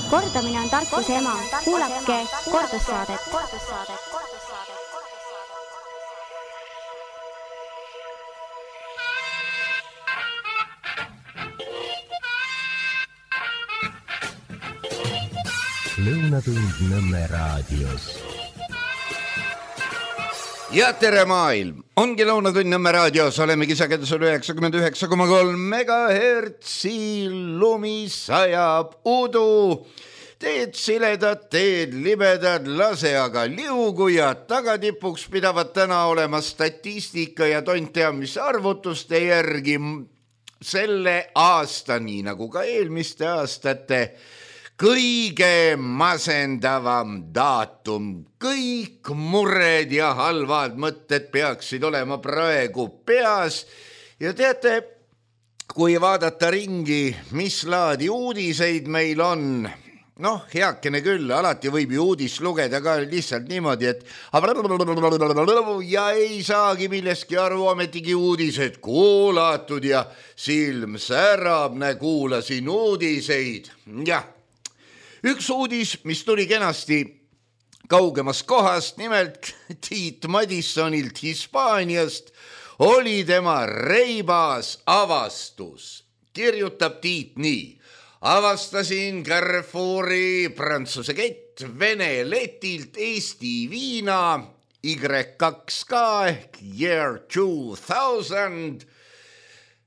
Kordamine on tarkuse ema. Kuulake kordussaadet. Lõunatund Nõmme raadios. Ja tere maailm! Ongi Lõunatund Nõmme raadios, olemegi sagedusel 99,3 megahertsi, lumi sajab udu. Teed siledad, teed libedad, lase aga liugu ja tagatipuks pidavad täna olema statistika ja tont tea mis arvutuste järgi selle aasta, nii nagu ka eelmiste aastate, kõige masendavam daatum. Kõik mured ja halvad mõtted peaksid olema praegu peas. Ja teate, kui vaadata ringi, mis laadi uudiseid meil on, heakene küll, alati võib ju uudist lugeda ka lihtsalt niimoodi, et ja ei saagi millestki aru, ametigi uudised kuulatud ja silm särab, kuulasin uudiseid. Jah. Üks uudis, mis tuli kenasti kaugemast kohast, nimelt Tiit Madissonilt Hispaaniast, oli tema reibas avastus. Kirjutab Tiit nii. Avastasin Carrefouri Prantsuse kett Vene letilt Eesti viina Y2K ehk Year 2000,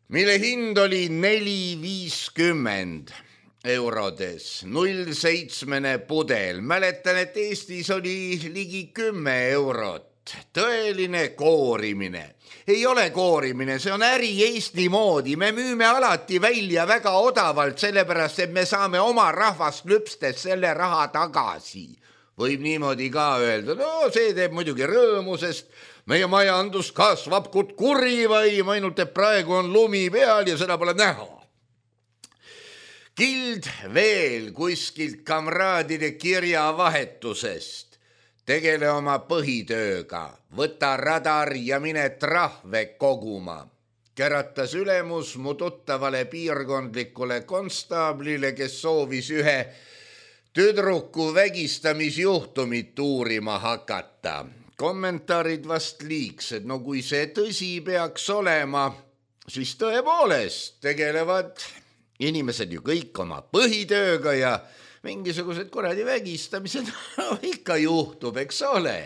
mille hind oli 4,50 eurodes, 0,7 pudel. Mäletan, et Eestis oli ligi 10 eurot. Tõeline koorimine. Ei ole koorimine, see on äri Eesti moodi. Me müüme alati välja väga odavalt, sellepärast, et me saame oma rahvast lüpstes selle raha tagasi. Võib niimoodi ka öelda, see teeb muidugi rõõmu, sest meie majandus kasvab kui kurivaim, ainult et praegu on lumi peal ja seda pole näha. Kild veel kuskilt kamraadide kirjavahetusest. Tegele oma põhitööga, võta radar ja mine trahve koguma. Käratas ülemus mu tuttavale piirkondlikule konstaablile, kes soovis ühe tüdruku vägistamisjuhtumit uurima hakata. Kommentaarid vast liigsed, kui see tõsi peaks olema, siis tõepoolest tegelevad inimesed ju kõik oma põhitööga ja mingisugused kuradi vägistamised ikka juhtub, eks ole.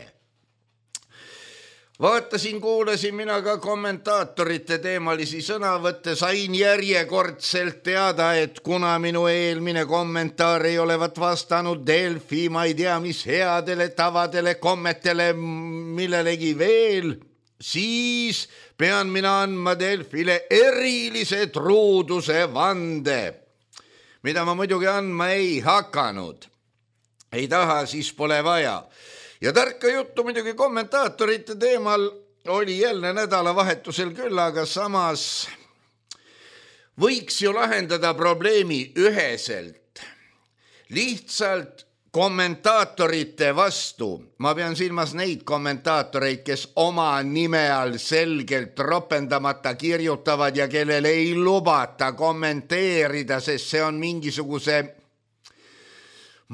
Vaatasin, kuulasin mina ka kommentaatorite teemalisi sõnavõtte, sain järjekordselt teada, et kuna minu eelmine kommentaar ei olevat vastanud Delfi, ma ei tea mis headele tavadele, kommetele, millelegi veel, siis pean mina andma Delfile erilise truuduse vande, mida ma muidugi andma ei hakanud. Ei taha, siis pole vaja. Ja tarka juttu muidugi kommentaatorite teemal oli jälle nädalavahetusel küll, aga samas võiks ju lahendada probleemi üheselt. Lihtsalt kommentaatorite vastu. Ma pean silmas neid kommentaatoreid, kes oma nime all selgelt ropendamata kirjutavad ja kellel ei lubata kommenteerida, sest see on mingisuguse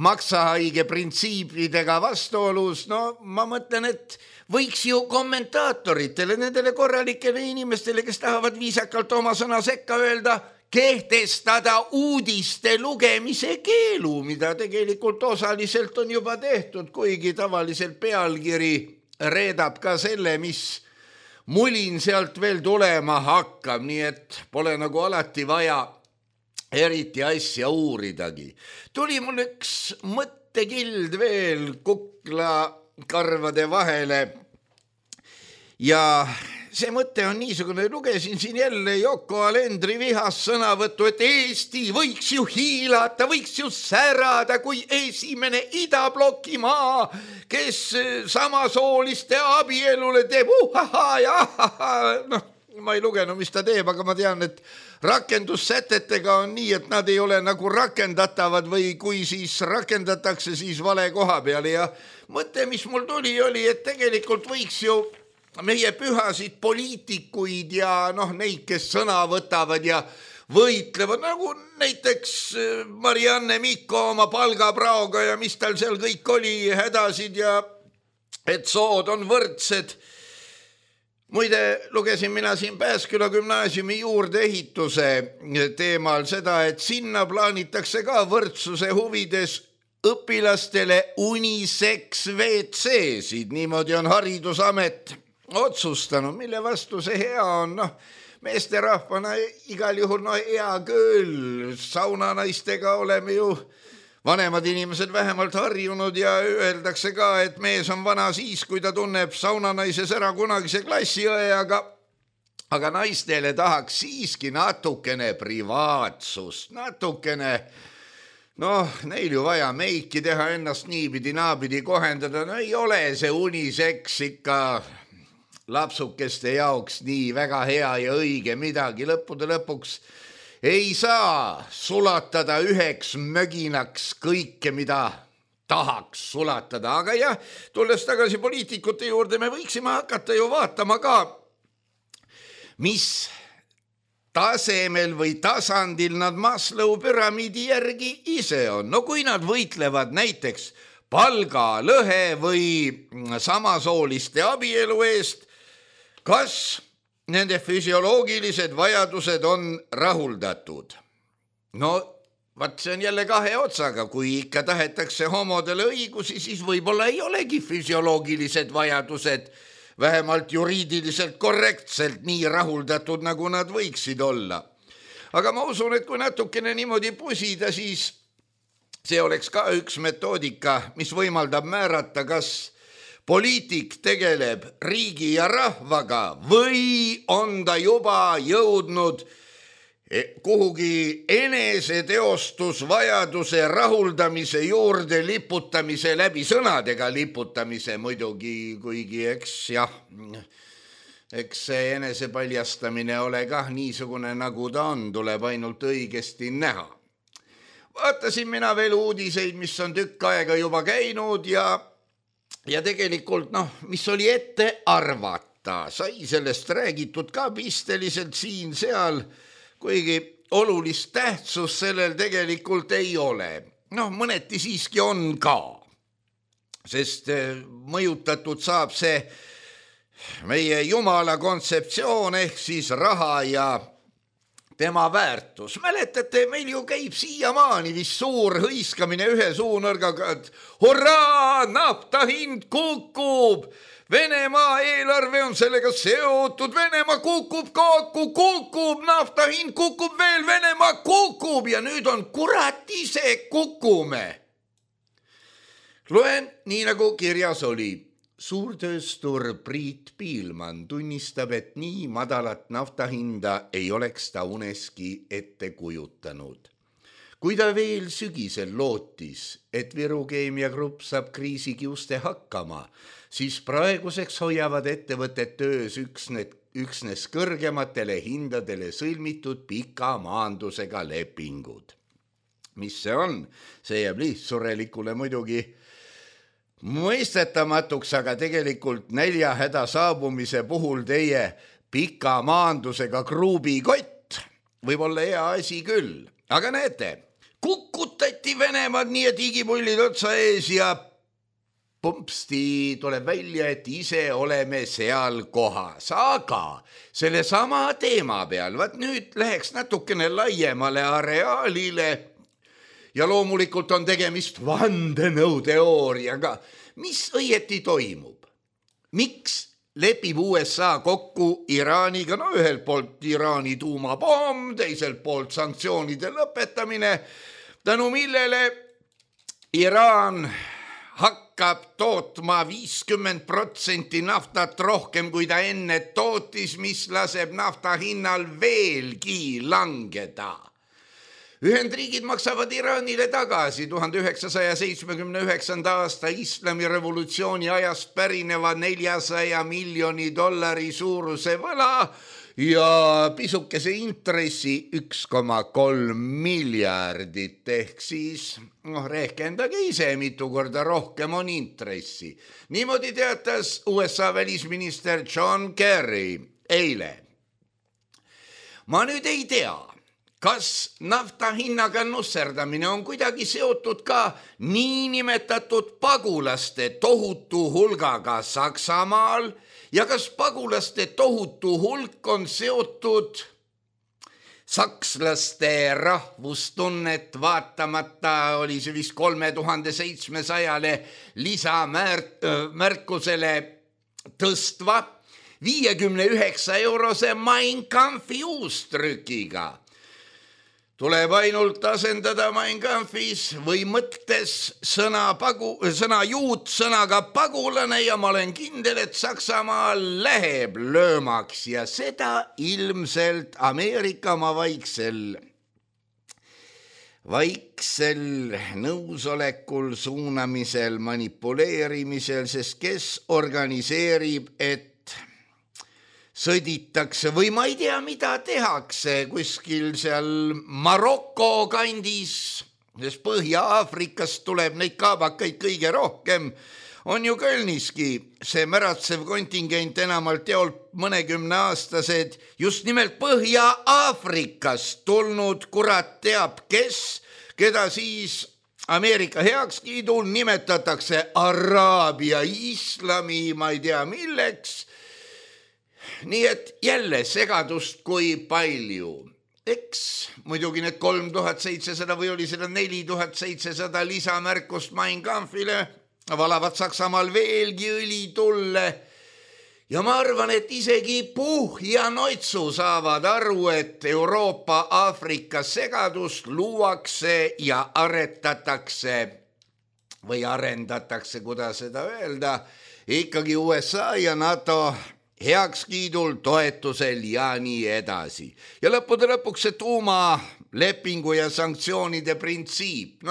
maksahaige printsiipidega vastuolus. Ma mõtlen, et võiks ju kommentaatoritele, nendele korralikele inimestele, kes tahavad viisakalt oma sõna sekka öelda, kehtestada uudiste lugemise keelu, mida tegelikult osaliselt on juba tehtud, kuigi tavaliselt pealkiri reedab ka selle, mis mulin sealt veel tulema hakkab, nii et pole nagu alati vaja eriti asja uuridagi. Tuli mul üks mõttekild veel kuklakarvade vahele ja see mõte on niisugune, lugesin siin jälle Yoko Alendri vihast sõnavõttu, et Eesti võiks ju hiilata, võiks ju särada kui esimene idabloki maa, kes samasooliste abielule teeb ma ei lugenud, mis ta teeb, aga ma tean, et rakendussätetega on nii, et nad ei ole nagu rakendatavad või kui siis rakendatakse, siis vale koha peale. Ja mõte, mis mul tuli, oli, et tegelikult võiks ju meie pühasid poliitikuid ja neid, kes sõna võtavad ja võitlevad, nagu näiteks Marianne Mikko oma palgapraoga ja mis tal seal kõik oli, hädasid ja et sood on võrdsed. Muide, lugesin mina siin Pääsküla gümnaasiumi juurdeehituse teemal seda, et sinna plaanitakse ka võrdsuse huvides õpilastele unisex WC-sid, niimoodi on Haridusamet otsustanud, mille vastu see hea on, meesterahvana igal juhul hea küll, saunanaistega oleme ju vanemad inimesed vähemalt harjunud ja öeldakse ka, et mees on vana siis, kui ta tunneb saunanaises ära kunagise klassiõe, aga naistele tahaks siiski natukene privaatsust, natukene, neil ju vaja meiki teha, ennast niipidi-naapidi kohendada, ei ole see unisex ikka lapsukeste jaoks nii väga hea ja õige midagi, lõppude lõpuks ei saa sulatada üheks möginaks kõike, mida tahaks sulatada, aga jah, tulles tagasi poliitikute juurde, me võiksime hakata ju vaatama ka, mis tasemel või tasandil nad Maslow püramiidi järgi ise on. No kui nad võitlevad näiteks palgalõhe või samasooliste abielu eest, kas nende füsioloogilised vajadused on rahuldatud? Vaat see on jälle kahe otsaga, kui ikka tahetakse homodele õigusi, siis võib-olla ei olegi füsioloogilised vajadused vähemalt juriidiliselt korrektselt nii rahuldatud, nagu nad võiksid olla. Aga ma usun, et kui natukene niimoodi pusida, siis see oleks ka üks metoodika, mis võimaldab määrata, kas poliitik tegeleb riigi ja rahvaga või on ta juba jõudnud kuhugi eneseteostusvajaduse rahuldamise juurde liputamise läbi sõnadega liputamise muidugi, kuigi eks see enesepaljastamine ole kah niisugune, nagu ta on, tuleb ainult õigesti näha. Vaatasin mina veel uudiseid, mis on tükk aega juba käinud ja tegelikult, mis oli ette arvata, sai sellest räägitud ka pisteliselt siin-seal, kuigi olulist tähtsust sellel tegelikult ei ole. Mõneti siiski on ka, sest mõjutatud saab see meie Jumala kontseptsioon ehk siis raha ja tema väärtus. Mäletate, meil ju käib siiamaani vist suur hõiskamine ühe suunõrgaga, et hurraa, nafta hind kukub, Venemaa eelarve on sellega seotud, Venemaa kukub, nafta hind kukub veel, Venemaa kukub ja nüüd on kurat ise kukume. Loen nii nagu kirjas oli. Suurtööstur Priit Piilman tunnistab, et nii madalat naftahinda ei oleks ta uneski ette kujutanud. Kui ta veel sügisel lootis, et Viru Keemiagrupp saab kriisikiuste hakkama, siis praeguseks hoiavad ettevõtted töös üksnes kõrgematele hindadele sõlmitud pika maandusega lepingud. Mis see on? See jääb lihtsurelikule muidugi mõistetamatuks, aga tegelikult näljahäda saabumise puhul teie pika maandusega kruubikott võib olla hea asi küll. Aga näete, kukutati Venemaad nii, et higipullid otsa ees ja pumpsti tuleb välja, et ise oleme seal kohas. Aga selle sama teema peal, vaat nüüd läheks natukene laiemale areaalile ja loomulikult on tegemist vandenõuteooriaga. Mis õieti toimub? Miks lepib USA kokku Iraaniga? Ühelt poolt Iraani tuumapomm, teiselt poolt sanktsioonide lõpetamine, tänu millele Iraan hakkab tootma 50% naftat rohkem, kui ta enne tootis, mis laseb nafta hinnal veelgi langeda. Ühendriigid maksavad Iraanile tagasi 1979. aasta islamirevolutsiooni ajast pärineva $400 miljoni suuruse võla ja pisukese intressi 1,3 miljardit ehk siis, rehkendage ise, mitu korda rohkem on intressi. Niimoodi teatas USA välisminister John Kerry eile. Ma nüüd ei tea, kas nafta hinnaga nusserdamine on kuidagi seotud ka niinimetatud pagulaste tohutu hulgaga Saksamaal ja kas pagulaste tohutu hulk on seotud sakslaste rahvustunnet vaatamata oli see vist 3700 lisamärkusele tõstva 59 Mein Kampfi uustrükiga. Tuleb ainult asendada Mein Kampfis või mõttes sõna juut sõnaga pagulane ja ma olen kindel, et Saksamaal läheb löömaks ja seda ilmselt Ameerika oma vaiksel nõusolekul, suunamisel, manipuleerimisel, sest kes organiseerib, et sõditakse või ma ei tea, mida tehakse kuskil seal Maroko kandis, sest Põhja-Aafrikast tuleb neid kaabakaid kõige rohkem, on ju Kölniski see märatsev kontingent enamalt jaolt mõnekümneaastased, just nimelt Põhja-Aafrikast tulnud kurat teab kes, keda siis Ameerika heakskiidul nimetatakse Araabia islami, ma ei tea milleks. Nii et jälle segadust kui palju. Eks muidugi need 3700 või oli seda 4700 lisamärkust Mein Kampfile valavad Saksamaal veelgi õli tulle. Ja ma arvan, et isegi Puh ja Noitsu saavad aru, et Euroopa-Aafrika segadust luuakse ja arendatakse, kuidas seda öelda, ikkagi USA ja NATO heakskiidul, toetusel ja nii edasi. Ja lõppude lõpuks see tuumalepingu ja sanktsioonide printsiip.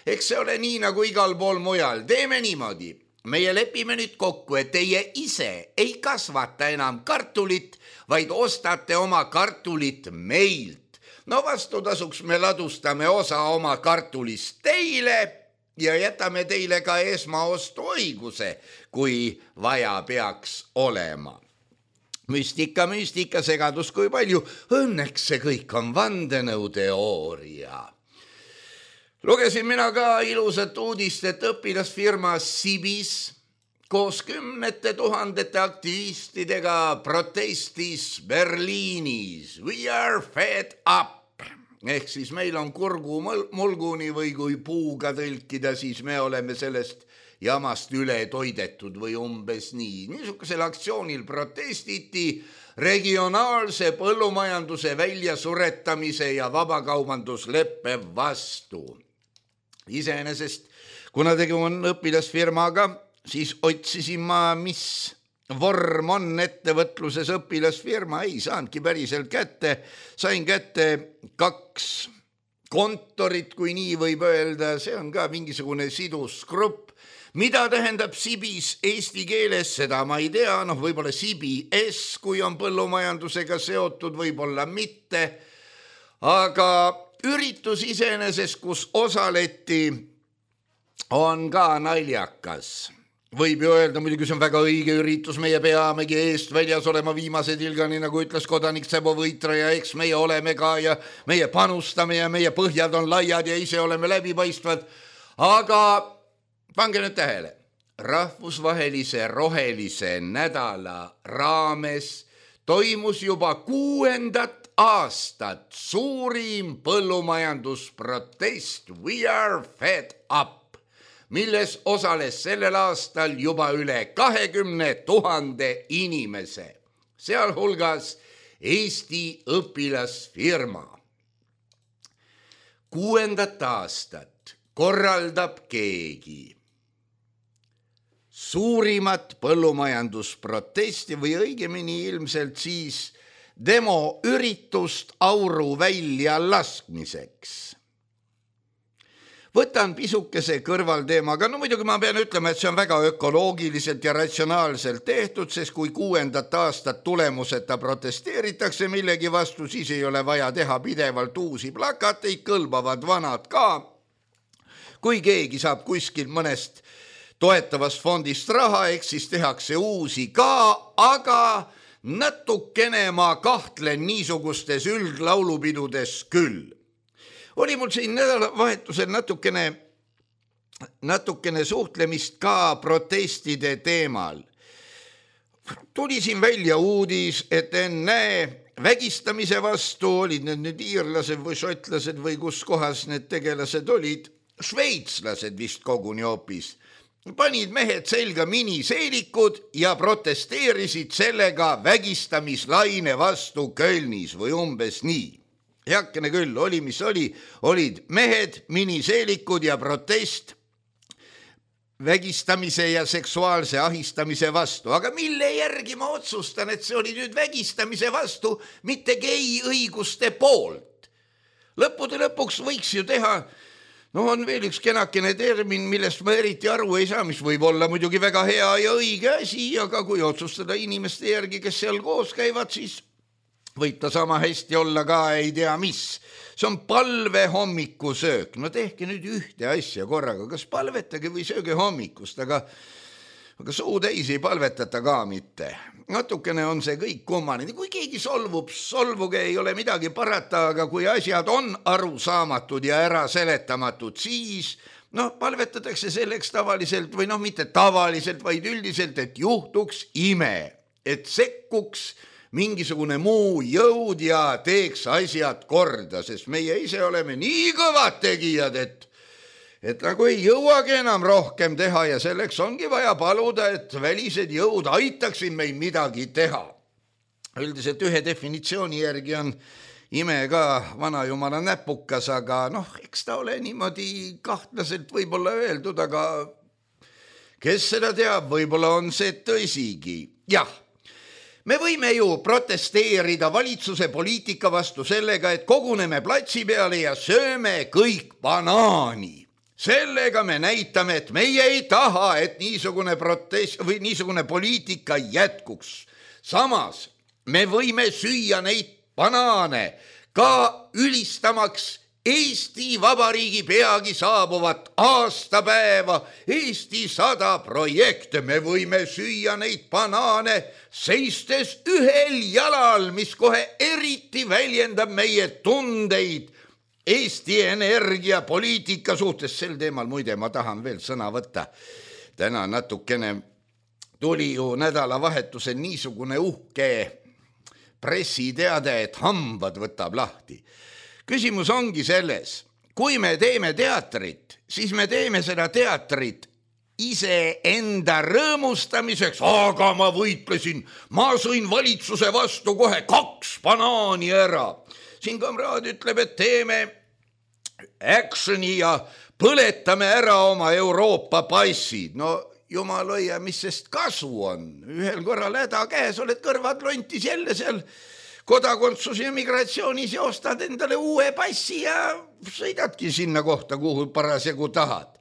Eks see ole nii nagu igal pool mujal. Teeme niimoodi. Meie lepime nüüd kokku, et teie ise ei kasvata enam kartulit, vaid ostate oma kartulit meilt. Vastutasuks me ladustame osa oma kartulist teile ja jätame teile ka esmaostu õiguse, kui vaja peaks olema. Müstika, segadus kui palju. Õnneks see kõik on vandenõuteooria. Lugesin mina ka ilusat uudist, et õpilasfirma Sibis koos 10 000 aktivistidega protestis Berliinis. We are fed up. Ehk siis meil on kurgu mulguni või kui puuga tõlkida, siis me oleme sellest jamast üle toidetud või umbes nii. Niisugusel aktsioonil protestiti regionaalse põllumajanduse väljasuretamise ja vabakaubandusleppe vastu. Iseenesest, kuna tegu on õpilasfirmaga, siis otsisin ma, mis vorm on ettevõtluses õpilasfirma, ei saanudki päriselt kätte. Sain kätte 2 kontorit, kui nii võib öelda, see on ka mingisugune sidusgrupp. Mida tähendab Sibis eesti keeles, seda ma ei tea, võib-olla CBS, kui on põllumajandusega seotud, võib-olla mitte, aga üritus iseenesest, kus osaleti, on ka naljakas. Võib ju öelda, muidugi see on väga õige üritus, meie peamegi eest väljas olema viimase tilgani, nagu ütles kodanik Sebo Võitra ja eks meie oleme ka ja meie panustame ja meie põhjad on laiad ja ise oleme läbipaistvad, aga pange nüüd tähele, rahvusvahelise rohelise nädala raames toimus juba 6. aastat suurim põllumajandusprotest We are fed up, milles osales sellel aastal juba üle 20 000 inimese, sealhulgas Eesti õpilasfirma. 6. aastat korraldab keegi suurimat põllumajandusprotesti või õigemini ilmselt siis demoüritust auru välja laskmiseks. Võtan pisukese kõrvalteemaga, muidugi ma pean ütlema, et see on väga ökoloogiliselt ja ratsionaalselt tehtud, sest kui 6. aastat tulemuseta protesteeritakse millegi vastu, siis ei ole vaja teha pidevalt uusi plakateid, kõlbavad vanad ka. Kui keegi saab kuskil mõnest toetavast fondist raha, eks siis tehakse uusi ka, aga natukene ma kahtlen niisugustes üldlaulupidudes küll. Oli mul siin nädalavahetusel natukene suhtlemist ka protestide teemal. Tuli siin välja uudis, et ennäe vägistamise vastu olid need iirlased või šotlased või kus kohas need tegelased olid, šveitslased vist koguni hoopis. Panid mehed selga miniseelikud ja protesteerisid sellega vägistamislaine vastu Kölnis või umbes nii. Heakene küll, oli mis oli, olid mehed, miniseelikud ja protest vägistamise ja seksuaalse ahistamise vastu. Aga mille järgi ma otsustan, et see oli nüüd vägistamise vastu, mitte gei õiguste poolt? Lõppude lõpuks võiks ju teha, on veel üks kenakene termin, millest ma eriti aru ei saa, mis võib olla muidugi väga hea ja õige asi, aga kui otsustada inimeste järgi, kes seal koos käivad, siis võib ta sama hästi olla ka ei tea mis. See on palve hommikusöök. No tehke nüüd ühte asja korraga, kas palvetage või sööge hommikust, aga suu täis ei palvetata ka mitte. Natukene on see kõik kummaline. Kui keegi solvuge, ei ole midagi parata, aga kui asjad on arusaamatud ja äraseletamatud, siis palvetatakse selleks tavaliselt või mitte tavaliselt, vaid üldiselt, et juhtuks ime, et sekkuks mingisugune muu jõud ja teeks asjad korda, sest meie ise oleme nii kõvad tegijad, et nagu ei jõuagi enam rohkem teha ja selleks ongi vaja paluda, et välised jõud aitaksid meil midagi teha. Üldiselt ühe definitsiooni järgi on ime ka vanajumala näpukas, aga eks ta ole niimoodi kahtlaselt võib-olla öeldud, aga kes seda teab, võib-olla on see tõsigi. Jah. Me võime ju protesteerida valitsuse poliitika vastu sellega, et koguneme platsi peale ja sööme kõik banaani. Sellega me näitame, et meie ei taha, et niisugune protest või niisugune poliitika jätkuks. Samas me võime süüa neid banaane ka ülistamaks Eesti Vabariigi peagi saabuvat aastapäeva, Eesti 100 projekte. Me võime süüa neid banaane seistes ühel jalal, mis kohe eriti väljendab meie tundeid Eesti energiapoliitika suhtes. Sel teemal muide ma tahan veel sõna võtta. Täna natukene tuli ju nädalavahetusel niisugune uhke pressiteade, et hambad võtab lahti. Küsimus ongi selles, kui me teeme teatrit, siis me teeme seda teatrit ise enda rõõmustamiseks, aga ma võitlesin, ma sõin valitsuse vastu kohe 2 banaani ära. Siin kamraad ütleb, et teeme actioni ja põletame ära oma Euroopa passid. Jumal hoia, mis sest kasu on? Ühel korral häda käes, oled kõrvad lontis jälle seal kodakondsus ja migratsioonis ja ostad endale uue passi ja sõidadki sinna kohta, kuhu parasjagu tahad.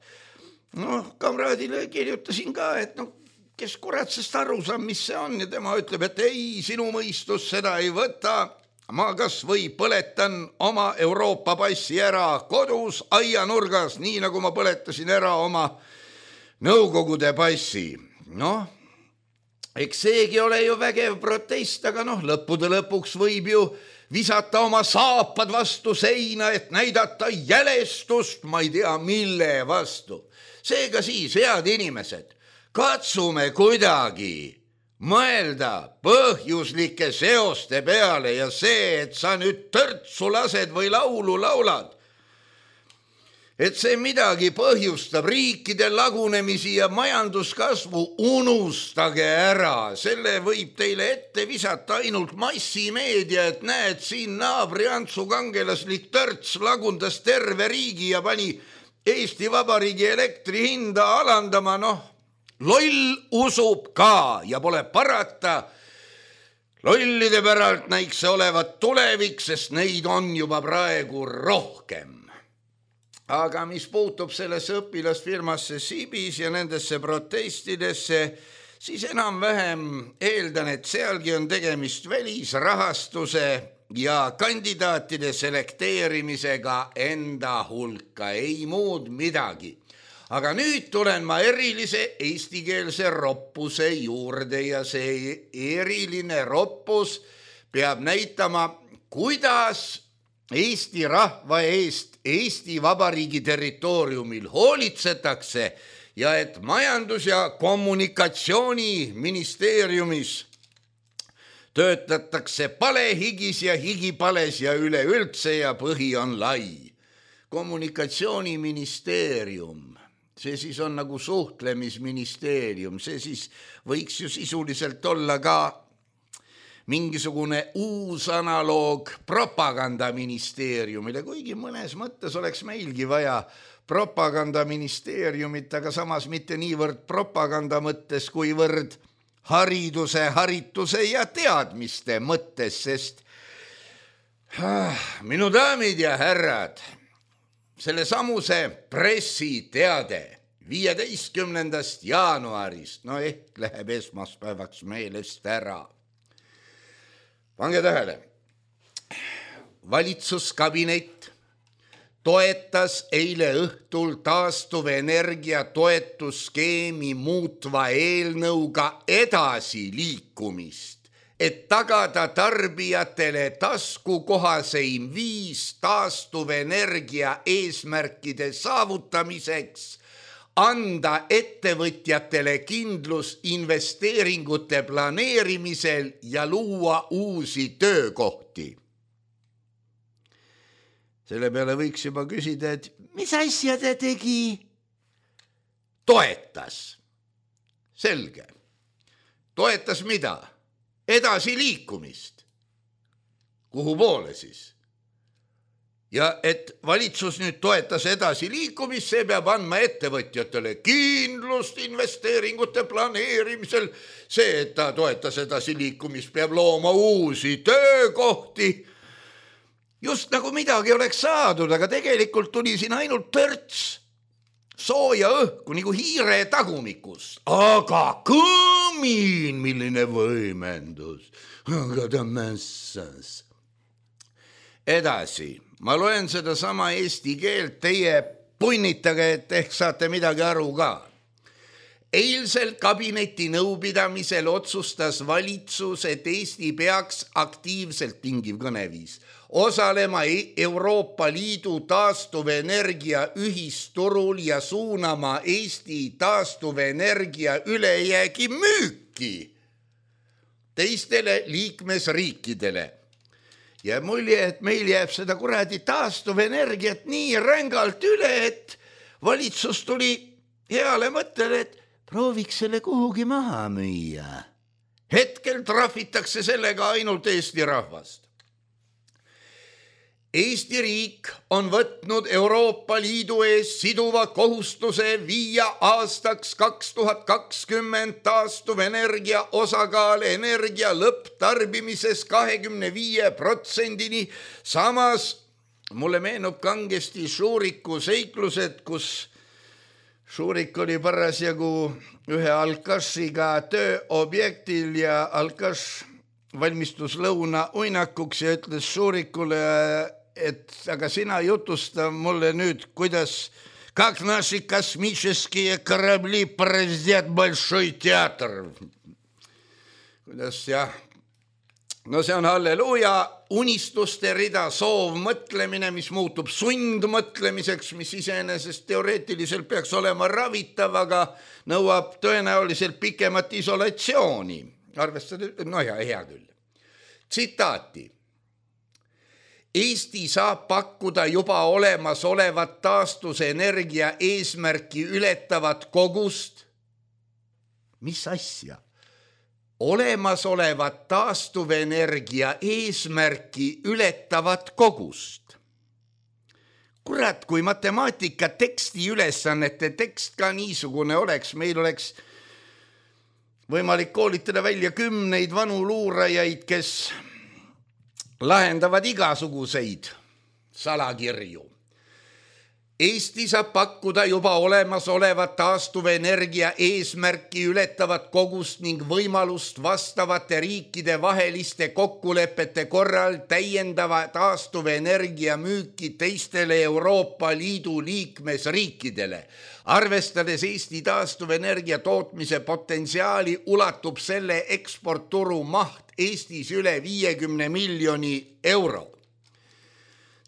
Kamraadile kirjutasin ka, et kes kuratsest aru saab, mis see on ja tema ütleb, et ei, sinu mõistus seda ei võta. Ma kas või põletan oma Euroopa passi ära kodus aianurgas, nii nagu ma põletasin ära oma Nõukogude passi. Eks seegi ole ju vägev protest, aga lõppude lõpuks võib ju visata oma saapad vastu seina, et näidata jälestust, ma ei tea mille vastu. Seega siis, head inimesed, katsume kuidagi mõelda põhjuslike seoste peale ja see, et sa nüüd törtsu lased või laulu laulad, et see midagi põhjustab riikide lagunemisi ja majanduskasvu, unustage ära. Selle võib teile ette visata ainult massimeedia, et näed, siin naabri Antsu kangelaslik törts lagundas terve riigi ja pani Eesti Vabariigi elektri hinda alandama. Loll usub ka ja pole parata. Lollide päralt näiks see olevat tulevik, sest neid on juba praegu rohkem. Aga mis puutub sellesse õpilasfirmasse Sibis ja nendesse protestidesse, siis enam-vähem eeldan, et sealgi on tegemist välisrahastuse ja kandidaatide selekteerimisega enda hulka, ei muud midagi. Aga nüüd tulen ma erilise eestikeelse roppuse juurde ja see eriline roppus peab näitama, kuidas Eesti rahva eest Eesti Vabariigi territooriumil hoolitsetakse ja et majandus- ja kommunikatsiooniministeeriumis töötatakse palehigis ja higipales ja üleüldse ja põhi on lai. Kommunikatsiooniministeerium, see siis on nagu suhtlemisministeerium, see siis võiks ju sisuliselt olla ka mingisugune uus analoog propagandaministeeriumile, kuigi mõnes mõttes oleks meilgi vaja propagandaministeeriumit, aga samas mitte niivõrd propaganda mõttes, kuivõrd hariduse, harituse ja teadmiste mõttes, sest minu daamid ja härrad, selle samuse pressiteade 15. jaanuarist, no ehk läheb esmaspäevaks meelest ära. Pange tähele, valitsuskabinet toetas eile õhtul taastuvenergia toetusskeemi muutva eelnõuga edasi liikumist, et tagada tarbijatele taskukohaseim viis taastuvenergia eesmärkide saavutamiseks, anda ettevõtjatele kindlus investeeringute planeerimisel ja luua uusi töökohti. Selle peale võiks juba küsida, et mis asja ta tegi? Toetas. Selge. Toetas mida? Edasi liikumist. Kuhu poole siis? Ja et valitsus nüüd toetas edasi liikumist, see peab andma ettevõtjatele kindlust investeeringute planeerimisel. See, et ta toetas edasi liikumist, peab looma uusi töökohti. Just nagu midagi oleks saadud, aga tegelikult tuli siin ainult törts sooja õhku, nagu hiire tagumikus. Aga kõmin, milline võimendus. Aga ta mässas. Edasi, ma loen seda sama eesti keelt, teie punnitage, et ehk saate midagi aru ka. Eilsel kabineti nõupidamisel otsustas valitsus, et Eesti peaks aktiivselt tingiv kõneviis osalema Euroopa Liidu taastuvenergia ühisturul ja suunama Eesti taastuvenergia ülejäägi müüki teistele liikmesriikidele. Ja mulje, et meil jääb seda kuradi taastuvenergiat nii rängalt üle, et valitsus tuli heale mõttele, et prooviks selle kuhugi maha müüa. Hetkel trahvitakse sellega ainult Eesti rahvast. Eesti riik on võtnud Euroopa Liidu ees siduva kohustuse viia aastaks 2020 taastuvenergia osakaal energia lõpptarbimises 25%-ni. Samas mulle meenub kangesti Šuriku seiklused, kus Šurik oli parasjagu ühe Alkašiga tööobjektil ja Alkaš valmistus lõuna uinakuks ja ütles Šurikule, et aga sina jutusta mulle nüüd, kuidas как наши космические корабли пораздят большой театр. Kuidas jah? No see on halleluuja, unistuste rida, soov mõtlemine, mis muutub sundmõtlemiseks, mis iseenesest teoreetiliselt peaks olema ravitav, aga nõuab tõenäoliselt pikemat isolatsiooni. Arvestada, no ja hea küll. Tsitaati. Eesti saab pakkuda juba olemasolevat taastusenergia eesmärki ületavat kogust. Mis asja? Olemasolevat taastuvenergia eesmärki ületavat kogust. Kurat, kui matemaatika teksti ülesannete tekst ka niisugune oleks, meil oleks võimalik koolitada välja 10 vanu luurajaid, kes lahendavad igasuguseid salakirju. Eesti saab pakkuda juba olemasolevat taastuvenergia eesmärki ületavat kogust ning võimalust vastavate riikide vaheliste kokkulepete korral täiendava taastuvenergia müüki teistele Euroopa Liidu liikmesriikidele. Arvestades Eesti taastuvenergia tootmise potentsiaali ulatub selle eksportturu maht Eestis üle 50 miljoni euro.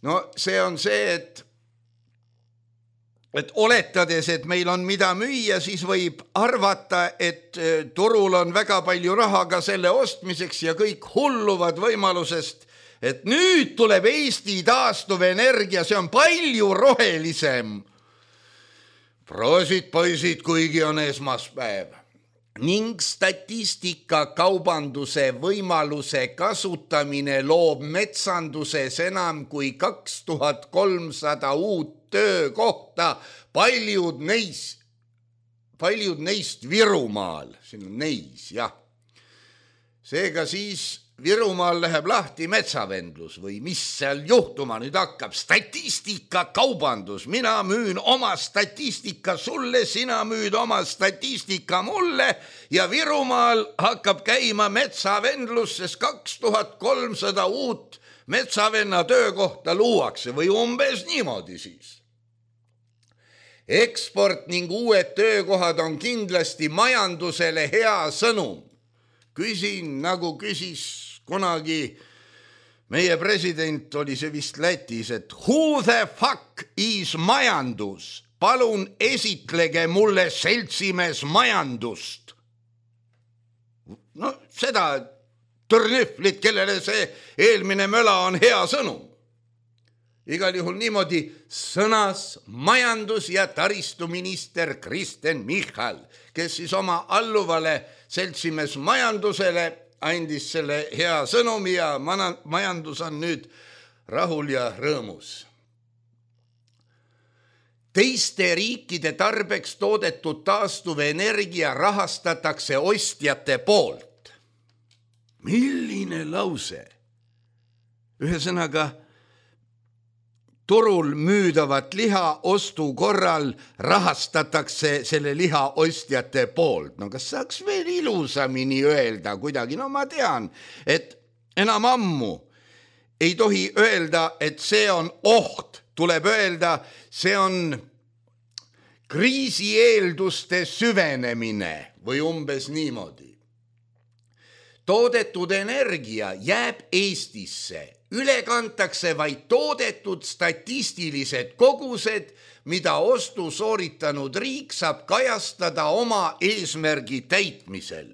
No see on see, et oletades, et meil on mida müüa, siis võib arvata, et turul on väga palju raha ka selle ostmiseks ja kõik hulluvad võimalusest, et nüüd tuleb Eesti taastuvenergia, see on palju rohelisem. Proosid poisid, kuigi on esmaspäev. Ning statistika kaubanduse võimaluse kasutamine loob metsanduses enam kui 2300 uut töökohta, paljud neist Virumaal. Siin on neis, jah. Seega siis Virumaal läheb lahti metsavendlus või mis seal juhtuma nüüd hakkab? Statistika kaubandus. Mina müün oma statistika sulle, sina müüd oma statistika mulle ja Virumaal hakkab käima metsavendlus, sest 2300 uut metsavenna töökohta luuakse või umbes niimoodi siis. Eksport ning uued töökohad on kindlasti majandusele hea sõnum. Küsin, nagu küsis kunagi meie president, oli see vist Lätis, et who the fuck is majandus? Palun esitlege mulle seltsimees majandust. No seda tõrnühvlit, kellele see eelmine möla on hea sõnum. Igal juhul niimoodi sõnas majandus- ja taristuminister Kristen Michal, kes siis oma alluvale seltsimees majandusele andis selle hea sõnumi ja majandus on nüüd rahul ja rõõmus. Teiste riikide tarbeks toodetud taastuvenergia rahastatakse ostjate poolt. Milline lause? Ühesõnaga, turul müüdavat liha ostu korral rahastatakse selle liha ostjate poolt. No kas saaks veel ilusamini öelda kuidagi? No ma tean, et enam ammu ei tohi öelda, et see on oht. Tuleb öelda, see on kriisieelduste süvenemine või umbes niimoodi. Toodetud energia jääb Eestisse. Üle kantakse vaid toodetud statistilised kogused, mida ostu sooritanud riik saab kajastada oma eesmärgi täitmisel.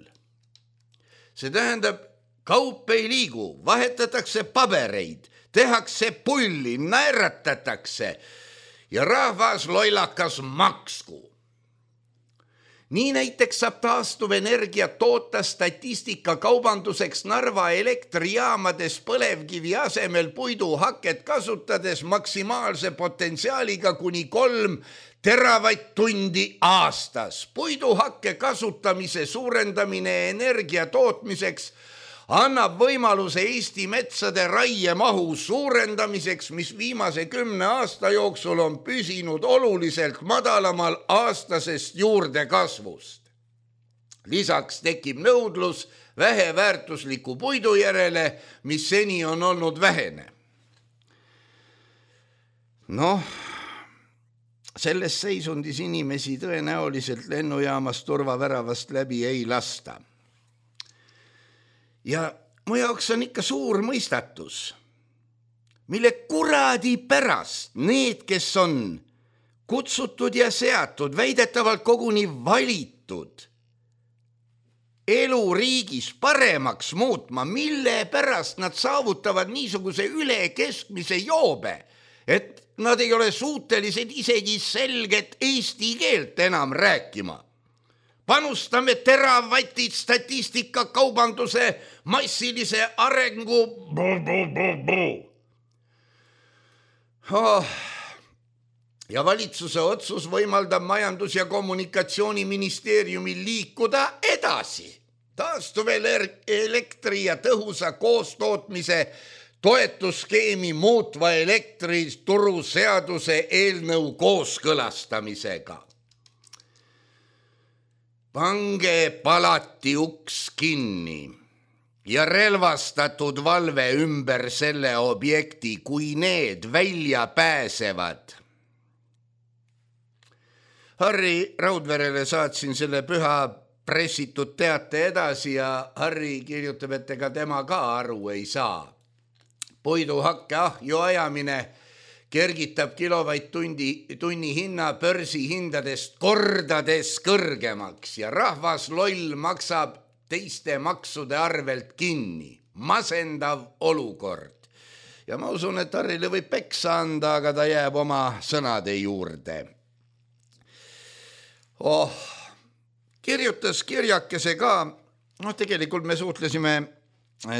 See tähendab, kaup ei liigu, vahetatakse pabereid, tehakse pulli, naeratatakse ja rahvas loilakas maksku. Nii näiteks saab taastuvenergia toota statistika kaubanduseks Narva elektrijaamades põlevkivi asemel puiduhaket kasutades maksimaalse potentsiaaliga kuni 3 teravatt-tundi aastas. Puiduhakke kasutamise suurendamine energia tootmiseks annab võimaluse Eesti metsade raiemahu suurendamiseks, mis viimase 10 aasta jooksul on püsinud oluliselt madalamal aastasest juurdekasvust. Lisaks tekib nõudlus väheväärtusliku puidu järele, mis seni on olnud vähene. Selles seisundis inimesi tõenäoliselt lennujaamast turvaväravast läbi ei lasta. Ja mu jaoks on ikka suur mõistatus, mille kuradi pärast need, kes on kutsutud ja seatud, väidetavalt koguni valitud elu riigis paremaks muutma, mille pärast nad saavutavad niisuguse ülekeskmise joobe, et nad ei ole suutelised isegi selget eesti keelt enam rääkima. Panustame teravatid statistika kaubanduse massilise arengu. Ja valitsuse otsus võimaldab majandus- ja kommunikatsiooniministeeriumil liikuda edasi. Taastuv elektri ja tõhusa koostootmise toetusskeemi muutva elektrituruseaduse eelnõu kooskõlastamisega. Pange palati uks kinni ja relvastatud valve ümber selle objekti, kui need välja pääsevad. Harri Raudverele saatsin selle püha pressitud teate edasi ja Harri kirjutab, et ega tema ka aru ei saa. Puiduhakke ahju ajamine kergitab kilovatt-tunni hinna börsihindadest kordades kõrgemaks ja rahvas loll maksab teiste maksude arvelt kinni. Masendav olukord. Ja ma usun, et Harrile võib peksa anda, aga ta jääb oma sõnade juurde. Kirjutas kirjakese ka, tegelikult me suhtlesime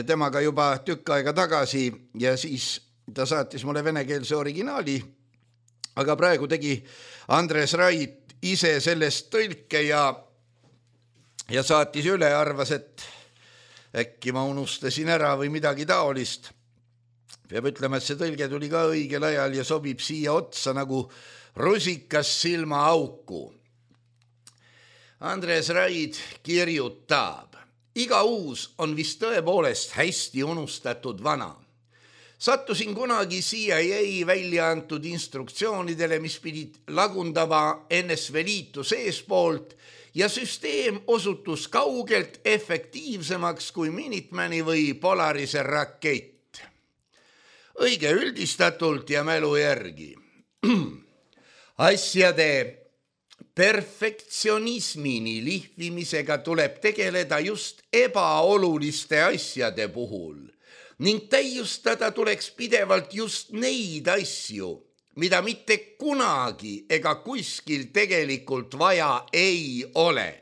temaga juba tükk aega tagasi ja siis ta saatis mulle venekeelse originaali, aga praegu tegi Andres Rait ise sellest tõlke ja saatis üle, arvas, et äkki ma unustasin ära või midagi taolist. Peab ütlema, et see tõlge tuli ka õigel ajal ja sobib siia otsa nagu rusikas silma auku. Andres Raid kirjutab. Iga uus on vist tõepoolest hästi unustatud vana. Sattusin kunagi CIA välja antud instruktsioonidele, mis pidid lagundama NSV Liitu seespoolt ja süsteem osutus kaugelt efektiivsemaks kui Minutemani või Polarise rakett. Õige üldistatult ja mälu järgi. Asjade perfektsionismini lihvimisega tuleb tegeleda just ebaoluliste asjade puhul ning täiustada tuleks pidevalt just neid asju, mida mitte kunagi ega kuskil tegelikult vaja ei ole.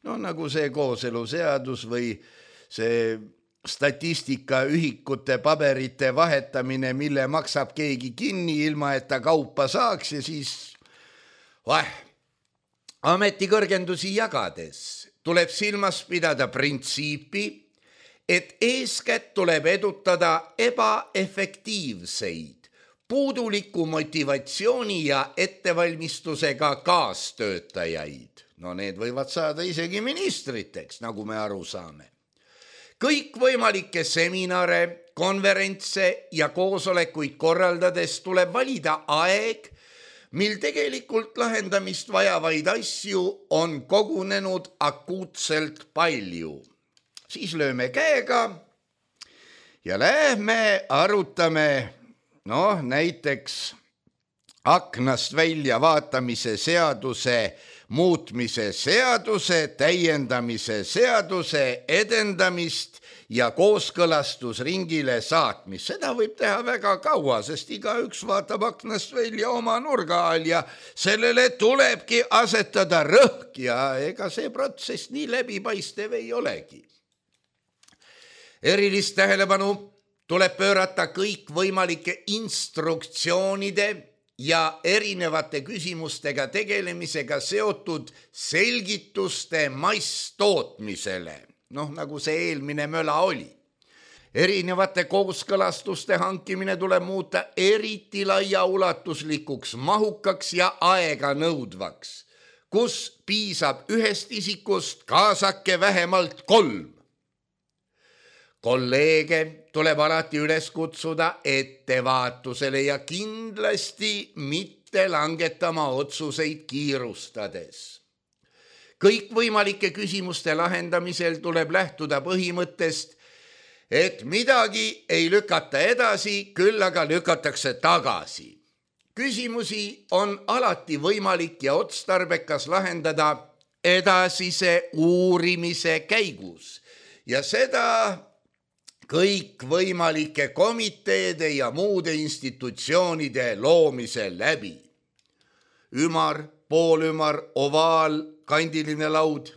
No nagu see kooseluseadus või see statistikaühikute paberite vahetamine, mille maksab keegi kinni ilma, et ta kaupa saaks ja siis ametikõrgendusi jagades tuleb silmas pidada printsiipi, et eeskätt tuleb edutada ebaefektiivseid, puuduliku motivatsiooni ja ettevalmistusega kaastöötajaid. No need võivad saada isegi ministriteks, nagu me aru saame. Kõik võimalikke seminare, konverentse ja koosolekuid korraldades tuleb valida aeg, mil tegelikult lahendamist vajavaid asju on kogunenud akuutselt palju. Siis lööme käega ja lähme arutame, näiteks aknast välja vaatamise seaduse, muutmise seaduse, täiendamise seaduse edendamist ja kooskõlastusringile saatmist. Seda võib teha väga kaua, sest igaüks vaatab aknast välja oma nurga all ja sellele tulebki asetada rõhk ja ega see protsess nii läbipaistev ei olegi. Erilist tähelepanu tuleb pöörata kõik võimalike instruktsioonide ja erinevate küsimustega tegelemisega seotud selgituste masstootmisele, nagu see eelmine möla oli. Erinevate kooskõlastuste hankimine tuleb muuta eriti laiaulatuslikuks, mahukaks ja aega nõudvaks, kus piisab ühest isikust, kaasake vähemalt 3. Kolleege tuleb alati üles kutsuda ettevaatusele ja kindlasti mitte langetama otsuseid kiirustades. Kõik võimalike küsimuste lahendamisel tuleb lähtuda põhimõttest, et midagi ei lükata edasi, küll aga lükatakse tagasi. Küsimusi on alati võimalik ja otstarbekas lahendada edasise uurimise käigus ja seda kõik võimalike komiteede ja muude institutsioonide loomise läbi. Ümar, poolümar, ovaal, kandiline laud,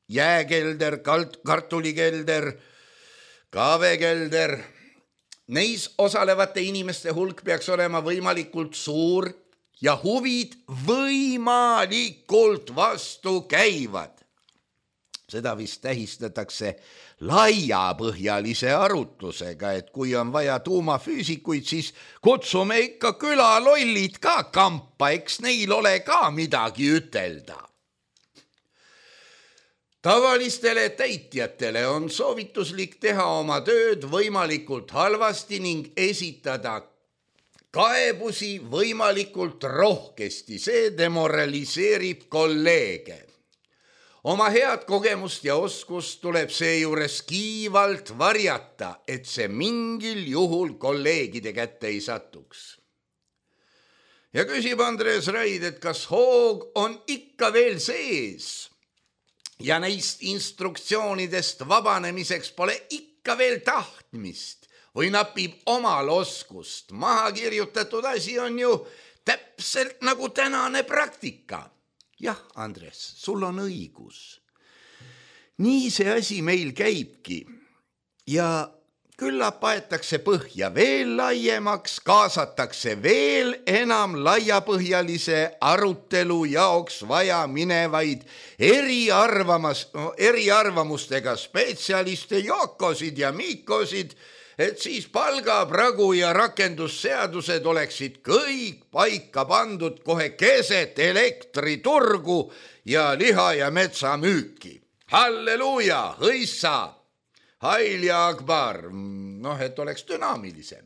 jääkelder, kartulikelder, kaavekelder. Neis osalevate inimeste hulk peaks olema võimalikult suur ja huvid võimalikult vastu käivad. Seda vist tähistatakse laiapõhjalise arutlusega, et kui on vaja tuumafüüsikuid, siis kutsume ikka külalollid ka kampa, eks neil ole ka midagi ütelda. Tavalistele täitjatele on soovituslik teha oma tööd võimalikult halvasti ning esitada kaebusi võimalikult rohkesti, see demoraliseerib kolleege. Oma head kogemust ja oskust tuleb seejuures kiivalt varjata, et see mingil juhul kolleegide kätte ei satuks. Ja küsib Andres Raid, et kas hoog on ikka veel sees ja neist instruktsioonidest vabanemiseks pole ikka veel tahtmist või napib omal oskust. Maha kirjutatud asi on ju täpselt nagu tänane praktika. Jah, Andres, sul on õigus. Nii see asi meil käibki ja küllap aetakse põhja veel laiemaks, kaasatakse veel enam laiapõhjalise arutelu jaoks vaja minevaid eriarvamustega spetsialiste, Jookosid ja Miikosid, et siis palgapragu ja rakendusseadused oleksid kõik paika pandud kohe keset elektriturgu ja liha ja metsamüüki. Halleluuja, hõissa, hail ja akbar, et oleks dünaamilisem.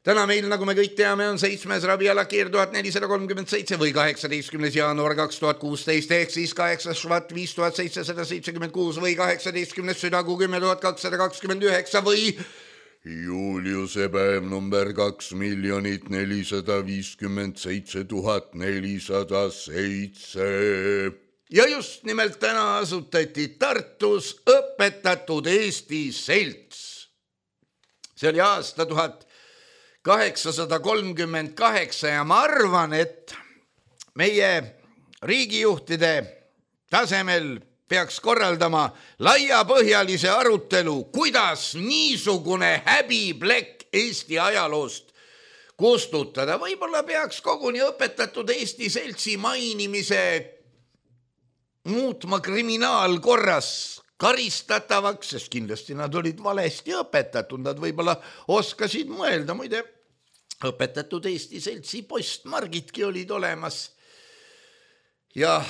Täna meil, nagu me kõik teame, on 7. rabialakeer 1437 või 18. jaanuar 2016 ehk siis 8. švat 5776 või 18. südakuu 10 229 või Juliuse päev number 2 457 407. Ja just nimelt täna asutati Tartus Õpetatud Eesti Selts. See oli aasta 1838 ja ma arvan, et meie riigijuhtide tasemel peaks korraldama laiapõhjalise arutelu, kuidas niisugune häbiplekk Eesti ajaloost kustutada. Võib-olla peaks koguni Õpetatud Eesti Seltsi mainimise muutma kriminaalkorras karistatavaks, sest kindlasti nad olid valesti õpetatud, nad võib-olla oskasid mõelda. Muide, Õpetatud Eesti Seltsi postmargidki olid olemas ja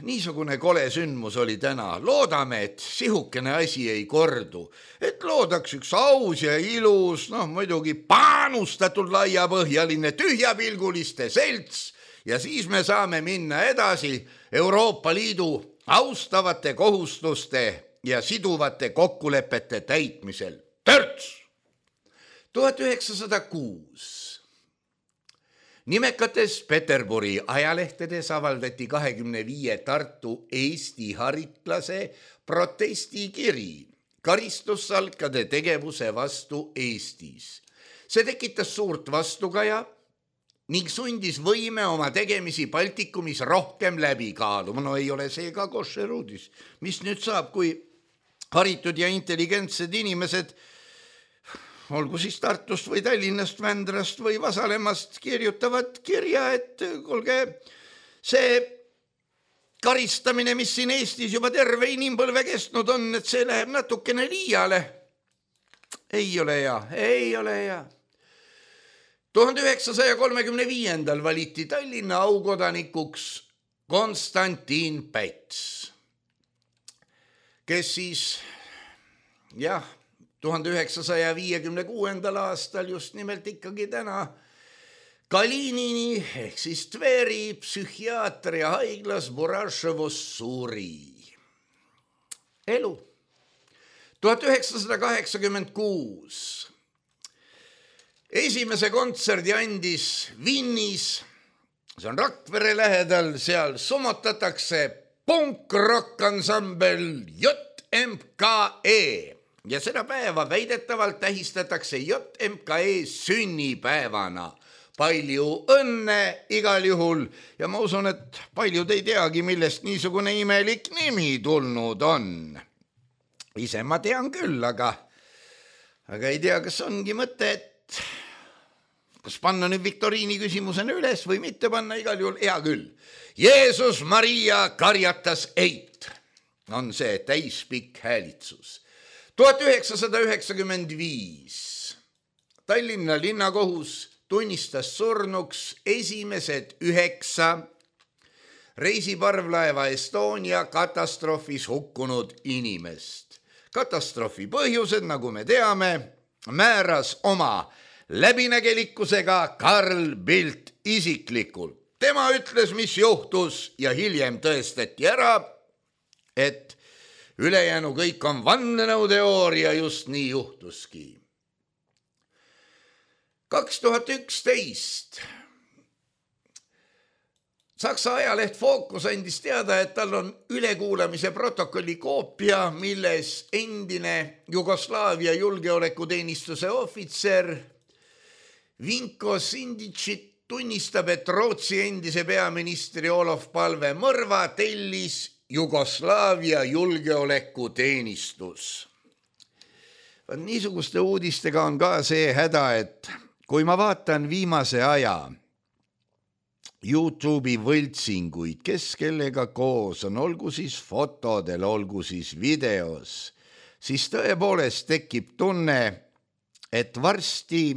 niisugune kole sündmus oli täna. Loodame, et sihukene asi ei kordu, et loodaks üks aus ja ilus, muidugi paanustatud laiapõhjaline tühjapilguliste selts ja siis me saame minna edasi Euroopa Liidu austavate kohustuste ja siduvate kokkulepete täitmisel. Törts! 1906 nimekates Peterburi ajalehtedes avaldati 25 Tartu Eesti haritlase protestikiri karistussalkade tegevuse vastu Eestis. See tekitas suurt vastukaja ning sundis võime oma tegemisi Baltikumis rohkem läbi kaaluma. Ei ole see ka koššerudis. Mis nüüd saab, kui haritud ja intelligentsed inimesed olgu siis Tartust või Tallinnast, Vändrast või Vasalemast kirjutavad kirja, et kuulge, see karistamine, mis siin Eestis juba terve inimpõlve kestnud on, et see läheb natukene liiale. Ei ole hea. 1935. valiti Tallinna aukodanikuks Konstantin Päts, kes siis, 1956. aastal just nimelt ikkagi täna Kalinini ehk siis Tveri psühhiaatria haiglas Buraševos suri. Elu. 1986. Esimese kontserdi andis Vinnis, see on Rakvere lähedal, seal summotatakse punk-rock-ansambel JMKE. Ja seda päeva väidetavalt tähistatakse JMKE sünnipäevana. Palju õnne igal juhul ja ma usun, et paljud ei teagi, millest niisugune imelik nimi tulnud on. Ise ma tean küll, aga ei tea, kas ongi mõte, et kas panna nüüd viktoriini küsimusena üles või mitte panna, igal juhul hea küll. Jeesus Maria karjatas eit. on see täispikk häälitsus. 1995 Tallinna linnakohus tunnistas surnuks esimesed 9 reisiparvlaeva Estonia katastroofis hukkunud inimest. Katastroofi põhjused, nagu me teame, määras oma läbinägelikkusega Carl Bildt isiklikult. Tema ütles, mis juhtus ja hiljem tõestati ära, et ülejäänu kõik on vandenõuteooria, just nii juhtuski. 2011 Saksa ajaleht Focus andis teada, et tal on ülekuulamise protokolli koopia, milles endine Jugoslaavia julgeolekuteenistuse ohvitser Vinko Sindicit tunnistab, et Rootsi endise peaministri Olof Palme mõrva tellis Jugoslaavia julgeolekuteenistus. Niisuguste uudistega on ka see häda, et kui ma vaatan viimase aja YouTube'i võltsinguid, kes kellega koos on, olgu siis fotodel, olgu siis videos, siis tõepoolest tekib tunne, et varsti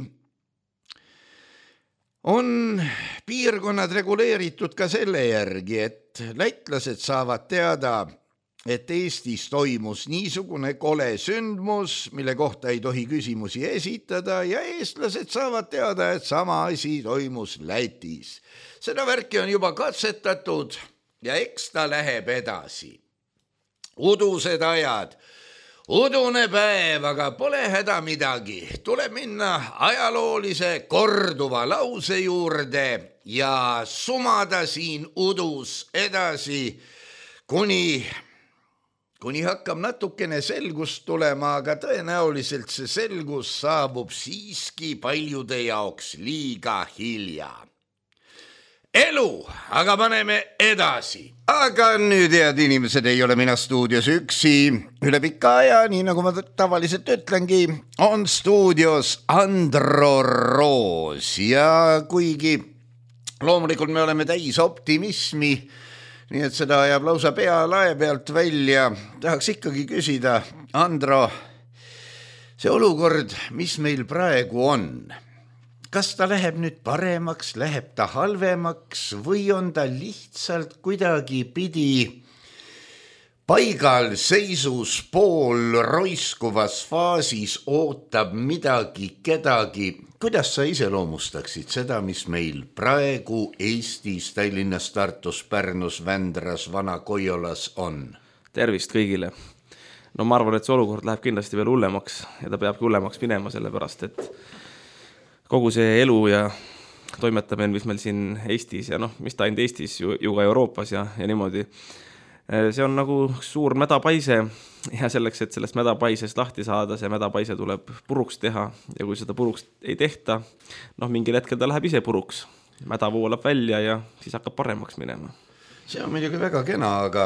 on piirkonnad reguleeritud ka selle järgi, et lätlased saavad teada, et Eestis toimus niisugune kole sündmus, mille kohta ei tohi küsimusi esitada, ja eestlased saavad teada, et sama asi toimus Lätis. Seda värki on juba katsetatud ja eks ta läheb edasi. Udused ajad, udune päev, aga pole häda midagi. Tuleb minna ajaloolise korduva lause juurde ja sumada siin udus edasi, kuni hakkab natukene selgust tulema, aga tõenäoliselt see selgus saabub siiski paljude jaoks liiga hilja. Elu, aga paneme edasi. Aga nüüd, head inimesed, ei ole mina stuudios üksi. Üle pika aja, nii nagu ma tavaliselt ütlengi, on stuudios Andro Roos. Ja kuigi loomulikult me oleme täis optimismi, nii et seda ajab lausa pea lae pealt välja, tahaks ikkagi küsida, Andro, see olukord, mis meil praegu on, kas ta läheb nüüd paremaks, läheb ta halvemaks või on ta lihtsalt kuidagi pidi paigal seisus pool roiskuvas faasis, ootab midagi, kedagi? Kuidas sa iseloomustaksid seda, mis meil praegu Eestis, Tallinnas, Tartus, Pärnus, Vändras, Vana-Koiolas on? Tervist kõigile. No ma arvan, et see olukord läheb kindlasti veel hullemaks ja ta peabki hullemaks minema, sellepärast, et kogu see elu ja toimetamine, mis meil siin Eestis ja mis ta ainult Eestis, ju ka Euroopas ja niimoodi, see on nagu suur mädapaise ja selleks, et sellest mädapaisest lahti saada, see mädapaise tuleb puruks teha ja kui seda puruks ei tehta, mingil hetkel ta läheb ise puruks, mäda voolab välja ja siis hakkab paremaks minema. See on muidugi väga kena, aga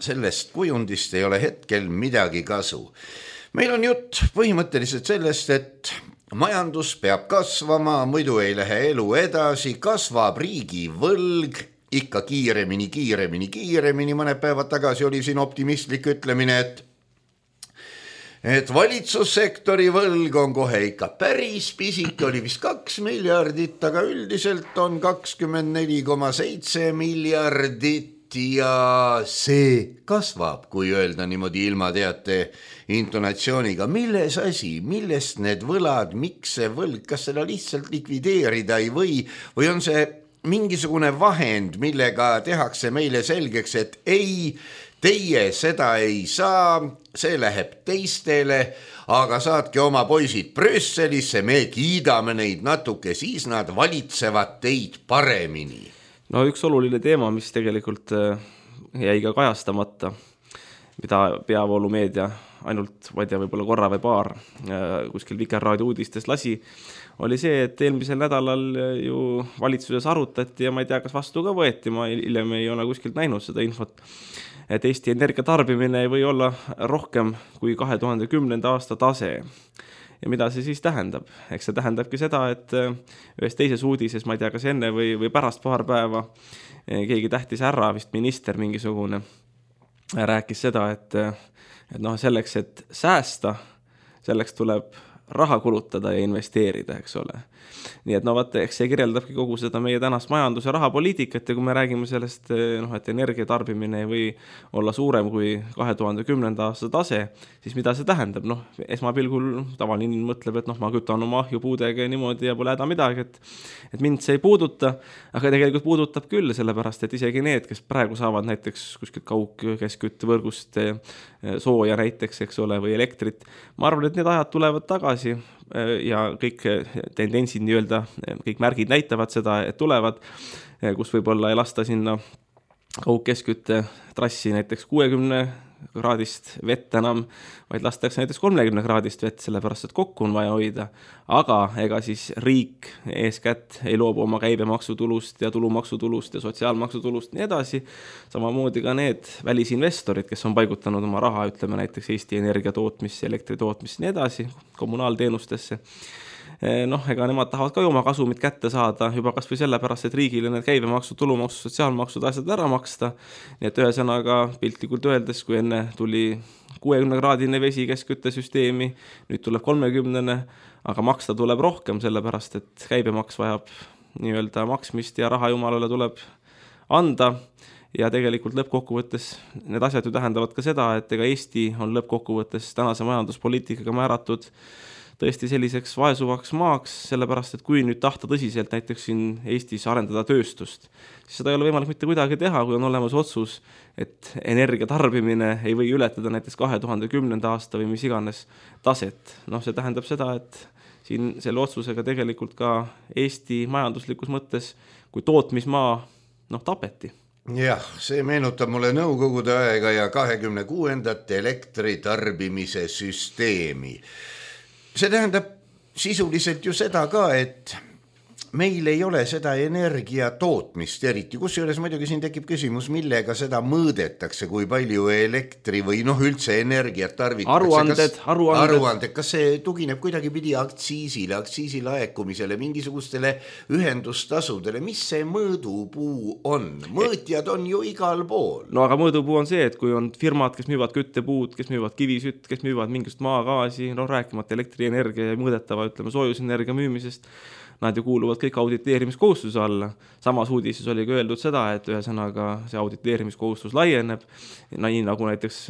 sellest kujundist ei ole hetkel midagi kasu. Meil on jutt põhimõtteliselt sellest, et majandus peab kasvama, muidu ei lähe elu edasi, kasvab riigi võlg, ikka kiiremini. Mõned päevad tagasi oli siin optimistlik ütlemine, et valitsussektori võlg on kohe ikka päris pisik, oli vist 2 miljardit, aga üldiselt on 24,7 miljardit ja see kasvab, kui öelda niimoodi ilma teate intonatsiooniga. Milles asi, millest need võlad, miks see võlg, kas seda lihtsalt likvideerida ei või on see mingisugune vahend, millega tehakse meile selgeks, et ei, teie seda ei saa, see läheb teistele, aga saatke oma poisid Brüsselisse, me kiidame neid natuke, siis nad valitsevad teid paremini. No üks oluline teema, mis tegelikult jäi ka kajastamata, mida peavoolumeedia ainult, ma ei tea, võib-olla korra või paar kuskil Vikerraadio uudistes lasi, oli see, et eelmisel nädalal ju valitsuses arutati ja ma ei tea, kas vastu ka võeti, ma hiljem ei ole kuskilt näinud seda infot, et Eesti energiatarbimine ei või olla rohkem kui 2010. aasta tase. Ja mida see siis tähendab? Eks see tähendabki seda, et ühes teises uudises, ma ei tea, kas enne või pärast paar päeva, keegi tähtis ära, vist minister mingisugune, rääkis seda, et noh, selleks, et säästa, selleks tuleb raha kulutada ja investeerida, eks ole. Nii et no vaata, eks see kirjeldabki kogu seda meie tänast majandus- ja rahapoliitikat ja kui me räägime sellest, noh, et energiatarbimine ei või olla suurem kui 2010. aasta tase, siis mida see tähendab? Noh, esmapilgul tavaline inimene mõtleb, et noh, ma kütan oma ahjupuudega niimoodi ja pole häda midagi, et mind see ei puuduta, aga tegelikult puudutab küll, sellepärast, et isegi need, kes praegu saavad näiteks kuskilt kaugkeskküttevõrgust sooja näiteks, eks ole, või elektrit, ma arvan, et need ajad tulevad tagasi ja kõik tendentsid nii-öelda, kõik märgid näitavad seda, et tulevad, kus võib-olla ei lasta sinna kaugkeskkütte trassi näiteks 60-kraadist vett enam, vaid lastakse näiteks 30-kraadist vett, sellepärast, et kokku on vaja hoida. Aga ega siis riik eeskätt ei loobu oma käibemaksutulust ja tulumaksutulust ja sotsiaalmaksutulust nii edasi. Samamoodi ka need välisinvestorid, kes on paigutanud oma raha, ütleme näiteks Eesti Energia tootmisse, elektri tootmisse nii edasi, kommunaalteenustesse. Noh, ega nemad tahavad ka oma kasumit kätte saada juba kas või sellepärast, et riigile need käibemaksu, tulumaksu, sotsiaalmaksud asjad ära maksta. Nii et ühesõnaga piltlikult öeldes, kui enne tuli 60-kraadine vesi keskküttesüsteemi, nüüd tuleb 30-ne, aga maksta tuleb rohkem, sellepärast et käibemaks vajab nii-öelda maksmist ja raha jumalale tuleb anda. Ja tegelikult lõppkokkuvõttes need asjad ju tähendavad ka seda, et ega Eesti on lõppkokkuvõttes tänase majanduspoliitikaga määratud tõesti selliseks vaesuvaks maaks, sellepärast, et kui nüüd tahta tõsiselt näiteks siin Eestis arendada tööstust, siis seda ei ole võimalik mitte kuidagi teha, kui on olemas otsus, et energia tarbimine ei või ületada näiteks 2010. aasta või mis iganes taset. Noh, see tähendab seda, et siin selle otsusega tegelikult ka Eesti majanduslikus mõttes, kui tootmismaa, tapeti. Jah, see meenutab mulle Nõukogude aega ja 26. elektritarbimise süsteemi. See tähendab sisuliselt ju seda ka, et meil ei ole seda energia tootmist eriti, kusjuures muidugi siin tekib küsimus, millega seda mõõdetakse, kui palju elektri või üldse energiat tarvitakse. Aruanded, kas see tugineb kuidagi pidi aktsiisilaekumisele, mingisugustele ühendustasudele, mis see mõõdupuu on? Mõõtjad on ju igal pool. No aga mõõdupuu on see, et kui on firmad, kes müüvad küttepuud, kes müüvad kivisütt, kes müüvad mingist maagaasi, rääkimata elektrienergia ja mõõdetava, soojusenergia müümisest, nad ju kuuluvad kõik auditeerimiskohustuse alla. Samas uudises oli ka öeldud seda, et ühesõnaga see auditeerimiskohustus laieneb. Nii nagu näiteks,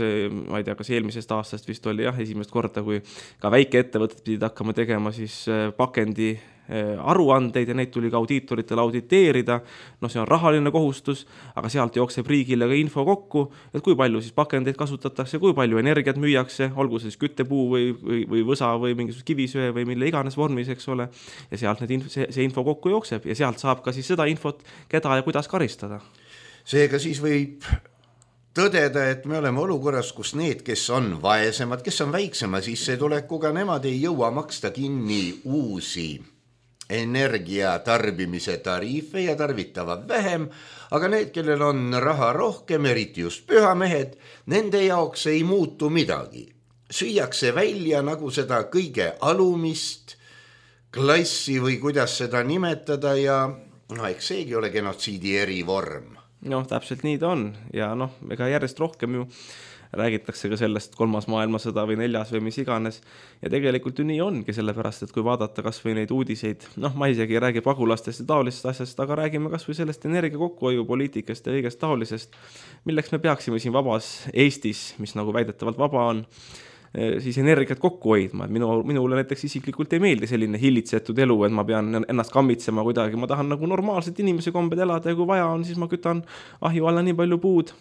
ma ei tea, kas eelmisest aastast vist oli esimest korda, kui ka väikeettevõtted pidid hakkama tegema siis pakendi aruandeid ja neid tuli ka audiitoritele auditeerida. See on rahaline kohustus, aga sealt jookseb riigile ka info kokku, et kui palju siis pakendeid kasutatakse, kui palju energiat müüakse, olgu siis küttepuu või võsa või mingisuguse kivisöe või mille iganes vormis, eks ole. Ja sealt see info kokku jookseb ja sealt saab ka siis seda infot, keda ja kuidas karistada. Seega siis võib tõdeda, et me oleme olukorras, kus need, kes on vaesemad, kes on väiksema sissetulekuga, nemad ei jõua maksta kinni uusi energia tarbimise tariife ja tarvitavad vähem, aga need, kellel on raha rohkem, eriti just pühamehed, nende jaoks ei muutu midagi. Süüakse välja nagu seda kõige alumist klassi või kuidas seda nimetada ja eks seegi ole genotsiidi erivorm. Täpselt nii ta on ja ega järjest rohkem ju räägitakse ka sellest 3. maailmasõda või 4. või mis iganes ja tegelikult ju nii ongi, sellepärast, et kui vaadata kas või neid uudiseid, ma isegi ei räägi pagulastest ja taolisest asjast, aga räägime kas või sellest energia kokkuhoiupoliitikast ja kõigest taolisest, milleks me peaksime siin vabas Eestis, mis nagu väidetavalt vaba on, siis energiat kokku hoidma. Minule näiteks isiklikult ei meeldi selline hillitsetud elu, et ma pean ennast kammitsema kuidagi, ma tahan nagu normaalselt inimese kombed elada ja kui vaja on, siis ma kütan ahju alla nii palju puud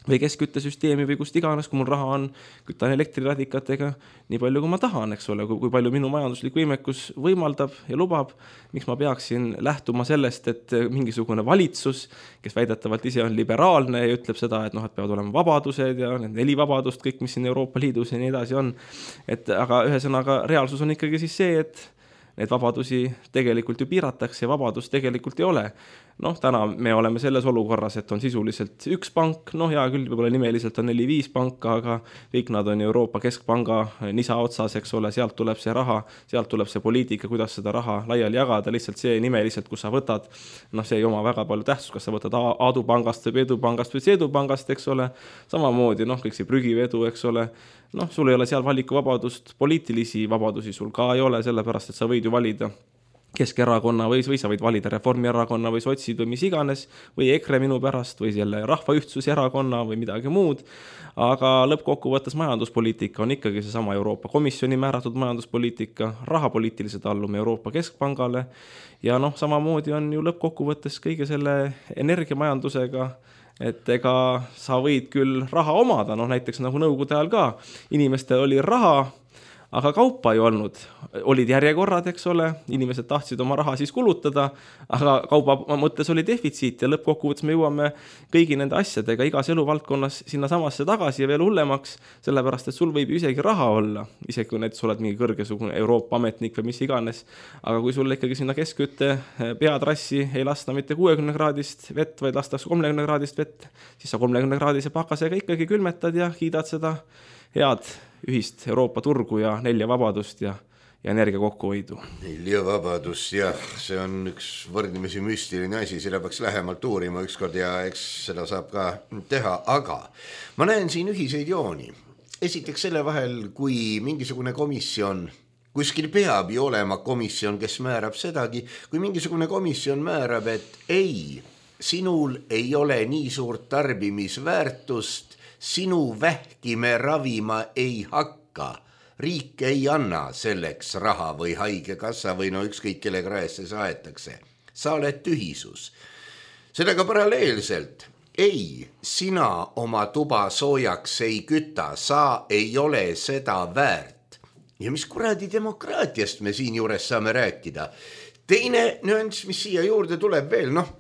või keskküttesüsteemi või kust iganes, kui mul raha on, kütan elektriradikatega nii palju, kui ma tahan, eks ole, kui palju minu majanduslik võimekus võimaldab ja lubab, miks ma peaksin lähtuma sellest, et mingisugune valitsus, kes väidetavalt ise on liberaalne ja ütleb seda, et peavad olema vabadused ja need 4 vabadust, kõik, mis siin Euroopa Liidus ja nii edasi on. Aga ühesõnaga reaalsus on ikkagi siis see, et need vabadusi tegelikult ju piiratakse ja vabadust tegelikult ei ole. Noh, täna me oleme selles olukorras, et on sisuliselt üks pank, noh hea küll, võib-olla nimeliselt on 4-5 panka, aga kõik nad on Euroopa Keskpanga nisa otsas, eks ole, sealt tuleb see raha, sealt tuleb see poliitika, kuidas seda raha laiali jagada, lihtsalt see nimeliselt, kus sa võtad, noh see ei oma väga palju tähtsust, kas sa võtad Aadu pangast või Peedu pangast või Seedu pangast, eks ole, samamoodi, noh kõik see prügivedu, eks ole, noh sul ei ole seal valikuvabadust, poliitilisi vabadusi sul ka ei ole, sellepärast, et sa võid ju valida Keskerakonna või sa võid valida Reformierakonna või sotsid või mis iganes või EKRE minu pärast või selle Rahvaühtsuse erakonna või midagi muud, aga lõppkokkuvõttes majanduspoliitika on ikkagi seesama Euroopa Komisjoni määratud majanduspoliitika, rahapoliitiliselt allume Euroopa Keskpangale ja noh, samamoodi on ju lõppkokkuvõttes kõige selle energiamajandusega, et ega sa võid küll raha omada, noh näiteks nagu nõukogude ajal ka, inimestel oli raha, aga kaupa ei olnud, olid järjekorrad, eks ole, inimesed tahtsid oma raha siis kulutada, aga kauba mõttes oli defitsiit ja lõppkokkuvõttes me jõuame kõigi nende asjadega igas eluvaldkonnas sinna samasse tagasi ja veel hullemaks, sellepärast, et sul võib ju isegi raha olla, isegi kui näiteks oled mingi kõrgesugune Euroopa ametnik või mis iganes, aga kui sul ikkagi sinna keskkütte peatrassi ei lasta mitte 60-kraadist vett, vaid lastakse 30-kraadist vett, siis sa 30-kraadise pakasega ikkagi külmetad ja kiidad seda head ühist Euroopa turgu ja 4 vabadust ja energia kokkuhoidu. 4 vabadust, jah, see on üks võrdlemisi müstiline asi, seda peaks lähemalt uurima ükskord ja eks seda saab ka teha, aga ma näen siin ühiseid jooni. Esiteks selle vahel, kui mingisugune komisjon, kuskil peab ju olema komisjon, kes määrab sedagi, kui mingisugune komisjon määrab, et ei, sinul ei ole nii suurt tarbimisväärtust, sinu vähki me ravima ei hakka, riik ei anna selleks raha või haigekassa või no ükskõik kelle kraesse saetakse. Sa oled tühisus. Sellega paralleelselt, ei, sina oma tuba soojaks ei küta, sa ei ole seda väärt. Ja mis kuradi demokraatiast me siin juures saame rääkida? Teine nüanss, mis siia juurde tuleb veel, noh,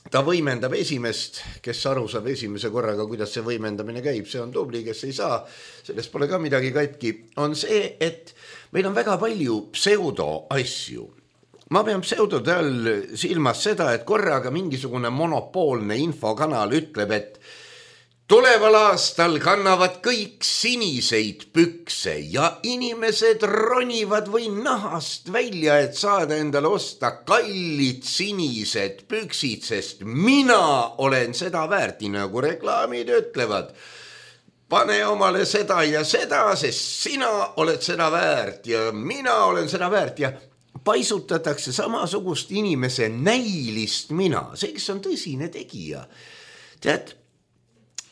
ta võimendab esimest, kes aru saab esimese korraga, kuidas see võimendamine käib, see on tubli, kes ei saa, sellest pole ka midagi katki, on see, et meil on väga palju pseudo asju. Ma pean pseudode all silmas seda, et korraga mingisugune monopoolne infokanal ütleb, et tuleval aastal kannavad kõik siniseid pükse ja inimesed ronivad või nahast välja, et saada endale osta kallid sinised püksid, sest mina olen seda väärt, nagu reklaamid ütlevad. Pane omale seda ja seda, sest sina oled seda väärt ja mina olen seda väärt ja paisutatakse samasugust inimese näilist mina, see, kes on tõsine tegija. Tead,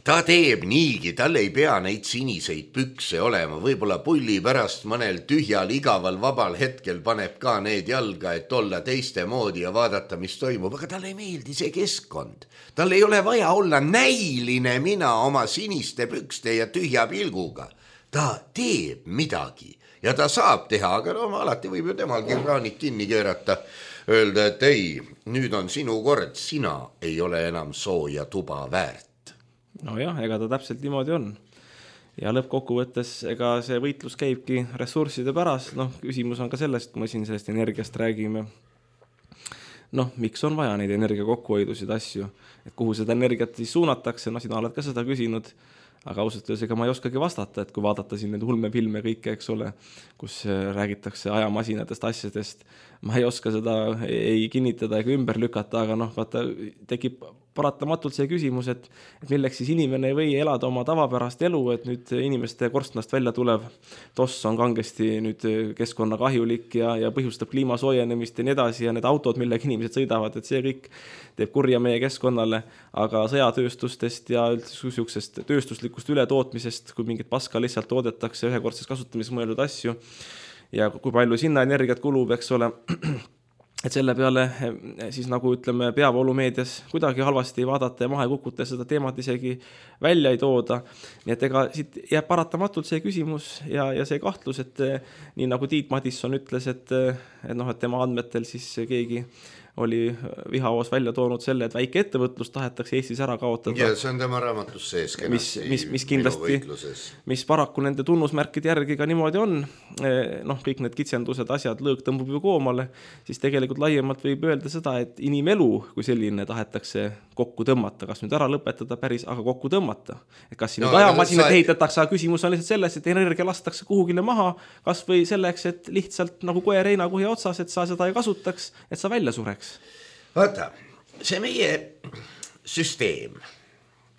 ta teeb niigi, tal ei pea neid siniseid pükse olema, võib-olla pulli pärast mõnel tühjal, igaval, vabal hetkel paneb ka need jalga, et olla teiste moodi ja vaadata, mis toimub, aga talle ei meeldi see keskkond. Tal ei ole vaja olla näiline mina oma siniste pükste ja tühja pilguga. Ta teeb midagi ja ta saab teha, aga no alati võib ju temalgi kraanid kinni keerata, öelda, et ei, nüüd on sinu kord, sina ei ole enam sooja tuba väärt. No jah, ega ta täpselt niimoodi on. Ja lõppkokkuvõttes, ega see võitlus käibki ressursside pärast, noh, küsimus on ka sellest, kui me siin sellest energiast räägime. Noh, miks on vaja neid energia kokkuhoidusid asju, et kuhu seda energiat siis suunatakse, no sina oled ka seda küsinud, aga ausalt öeldes ega ma ei oskagi vastata, et kui vaadata siin need ulmefilme kõike, eks ole, kus räägitakse ajamasinatest asjadest, ma ei oska seda ei kinnitada ega ümber lükata, aga noh, vaata, tekib paratamatult see küsimus, et milleks siis inimene ei või elada oma tavapärast elu, et nüüd inimeste korstnast välja tulev toss on kangesti nüüd keskkonnakahjulik ja põhjustab kliima soojenemist ja nii edasi ja need autod, millega inimesed sõidavad, et see kõik teeb kurja meie keskkonnale, aga sõjatööstustest ja üldse tööstuslikust ületootmisest, kui mingit paska lihtsalt toodetakse ühekordseks kasutamiseks mõeldud asju ja kui palju sinna energiat kulub, eks ole, et selle peale siis nagu ütleme peavoolumeedias kuidagi halvasti ei vaadata ja maha ei kukuta seda teemat isegi välja ei tooda. Nii et ega siit jääb paratamatult see küsimus ja see kahtlus, et nii nagu Tiit Madisson ütles, et tema andmetel siis keegi oli Vihahoos välja toonud selle, et väike ettevõtlus tahetakse Eestis ära kaotada. Ja see on tema raamatus sees mis kindlasti, mis paraku nende tunnusmärkide järgi ka niimoodi on, noh, kõik need kitsendused, asjad, lõõg tõmbub ju koomale, siis tegelikult laiemalt võib öelda seda, et inimelu kui selline tahetakse kokku tõmmata, kas nüüd ära lõpetada päris, aga kokku tõmmata. Et kas siin ajamasinad ehitatakse, aga küsimus on lihtsalt selles, et energia lastakse kuhugile maha, kas või selleks, et lihtsalt nagu koer heinakuhi otsas, et sa seda ei kasutaks, et sa välja sureks. Vaata, see meie süsteem,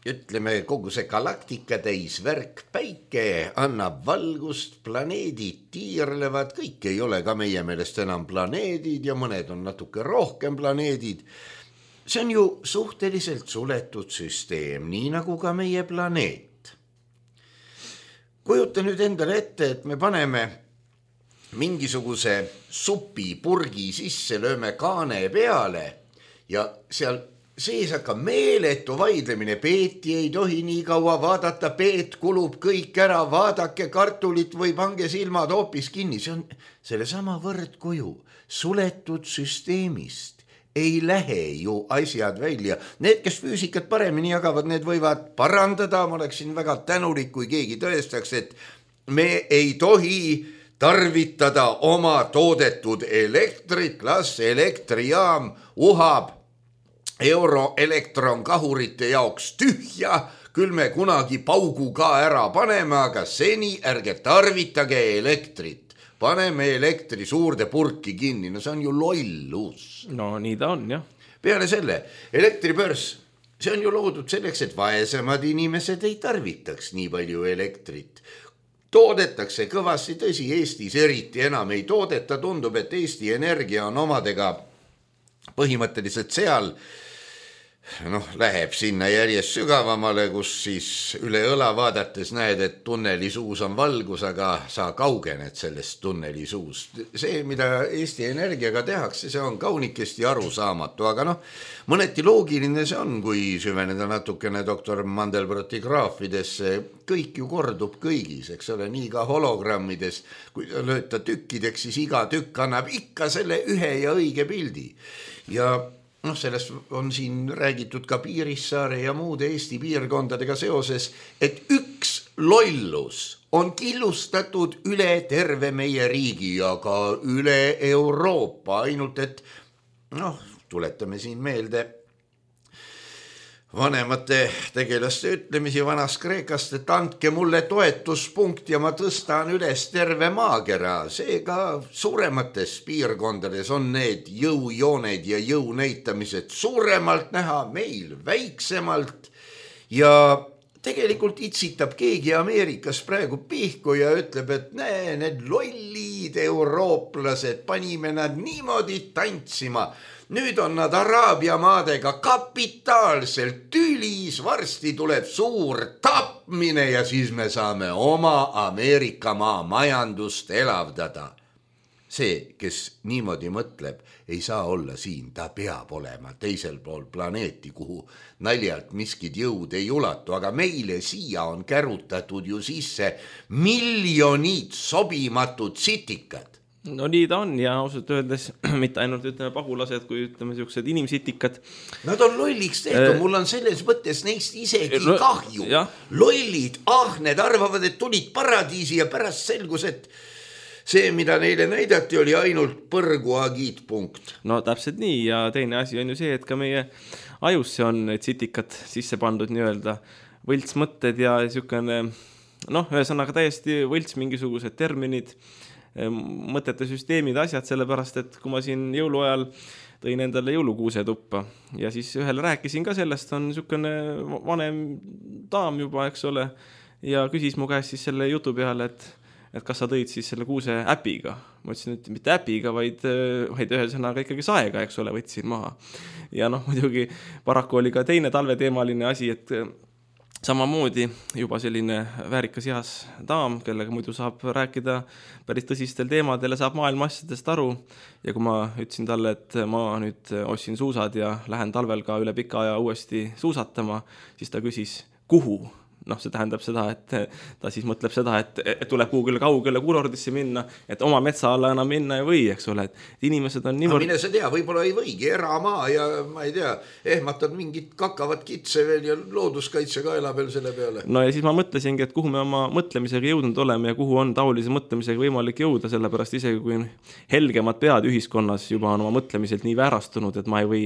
ütleme kogu see galaktika täis värk, päike annab valgust, planeedid tiirlevad, kõik ei ole ka meie meelest enam planeedid ja mõned on natuke rohkem planeedid. See on ju suhteliselt suletud süsteem, nii nagu ka meie planeet. Kujuta nüüd endale ette, et me paneme mingisuguse supipurgi sisse, lööme kaane peale ja seal sees hakkab meeletu vaidlemine. Peeti ei tohi nii kaua vaadata, peet kulub kõik ära, vaadake kartulit või pange silmad hoopis kinni. See on selle sama võrdkuju suletud süsteemist. Ei lähe ju asjad välja. Need, kes füüsikat paremini jagavad, need võivad parandada. Ma oleksin väga tänulik, kui keegi tõestaks, et me ei tohi tarvitada oma toodetud elektrit, las elektrijaam uhab euroelektronkahurite jaoks tühja, küll me kunagi paugu ka ära paneme, aga seni ärge tarvitage elektrit. Paneme elektri suurde purki kinni, no see on ju lollus. No nii ta on, jah. Peale selle, elektribörs, see on ju loodud selleks, et vaesemad inimesed ei tarvitaks nii palju elektrit. Toodetakse kõvasti, tõsi, Eestis eriti enam ei toodeta, tundub, et Eesti Energia on omadega põhimõtteliselt seal, läheb sinna järjest sügavamale, kus siis üle õla vaadates näed, et tunneli suus on valgus, aga sa kaugened sellest tunneli suust. See, mida Eesti Energiaga tehakse, see on kaunikesti arusaamatu, aga mõneti loogiline see on, kui süveneda natukene doktor Mandelbroti graafidesse, kõik ju kordub kõigis, eks ole, nii ka hologrammides, kui lööta tükkideks, siis iga tükk annab ikka selle ühe ja õige pildi. Ja sellest on siin räägitud ka Piirissaare ja muude Eesti piirkondadega seoses, et üks lollus on killustatud üle terve meie riigi ja ka üle Euroopa, ainult et tuletame siin meelde vanemate tegelaste ütlemisi vanast Kreekast, et andke mulle toetuspunkt ja ma tõstan üles terve maakera. Seega suuremates piirkondades on need jõujooned ja jõunäitamised suuremalt näha, meil väiksemalt ja tegelikult itsitab keegi Ameerikas praegu pihku ja ütleb, et need lollid eurooplased, panime nad niimoodi tantsima. Nüüd on nad Araabia maadega kapitaalselt tülis, varsti tuleb suur tapmine ja siis me saame oma Ameerika maa majandust elavdada. See, kes niimoodi mõtleb, ei saa olla siin, ta peab olema teisel pool planeeti, kuhu naljalt miskid jõud ei ulatu, aga meile siia on kärutatud ju sisse miljonid sobimatud sitikad. No nii ta on ja ausalt öeldes mitte ainult ütleme pagulased, kui ütleme sellised inimsitikad. Nad on lolliks tehtud, mul on selles mõttes neist isegi kahju. Lollid, need arvavad, et tulid paradiisi ja pärast selgus, et see, mida neile näidati, oli ainult põrgu agiitpunkt. No täpselt nii ja teine asi on ju see, et ka meie ajusse on need sitikad sisse pandud nii-öelda võltsmõtted ja niisugune, ühesõnaga täiesti võlts mingisugused terminid, mõtete süsteemid, asjad, sellepärast, et kui ma siin jõuluajal tõin endale jõulukuuse tuppa ja siis ühele rääkisin ka sellest, on niisugune vanem daam juba, eks ole, ja küsis mu käest siis selle jutu peale, et kas sa tõid siis selle kuuse äpiga. Ma ütlesin, et mitte äpiga, vaid ühesõnaga ikkagi saega, eks ole, võtsin maha. Ja muidugi paraku oli ka teine talveteemaline asi, et samamoodi juba selline väärikas heas daam, kellega muidu saab rääkida päris tõsistel teemadel ja saab maailma asjadest aru. Ja kui ma ütlesin talle, et ma nüüd ostsin suusad ja lähen talvel ka üle pika aja uuesti suusatama, siis ta küsis, kuhu? noh, see tähendab seda, et ta siis mõtleb seda, et tuleb kuhugile kaugele kurordisse minna, et oma metsa alla enam minna ei või, eks ole, et inimesed on niivõrd... Mine sa tea, võib-olla ei võigi, eramaa ja ma ei tea, ehmatad mingit kakavat kitse veel ja looduskaitse kaela veel selle peale. No ja siis ma mõtlesingi, et kuhu me oma mõtlemisega jõudnud oleme ja kuhu on taolise mõtlemisega võimalik jõuda, sellepärast isegi kui helgemad pead ühiskonnas juba on oma mõtlemiselt nii väärastunud, et ma ei või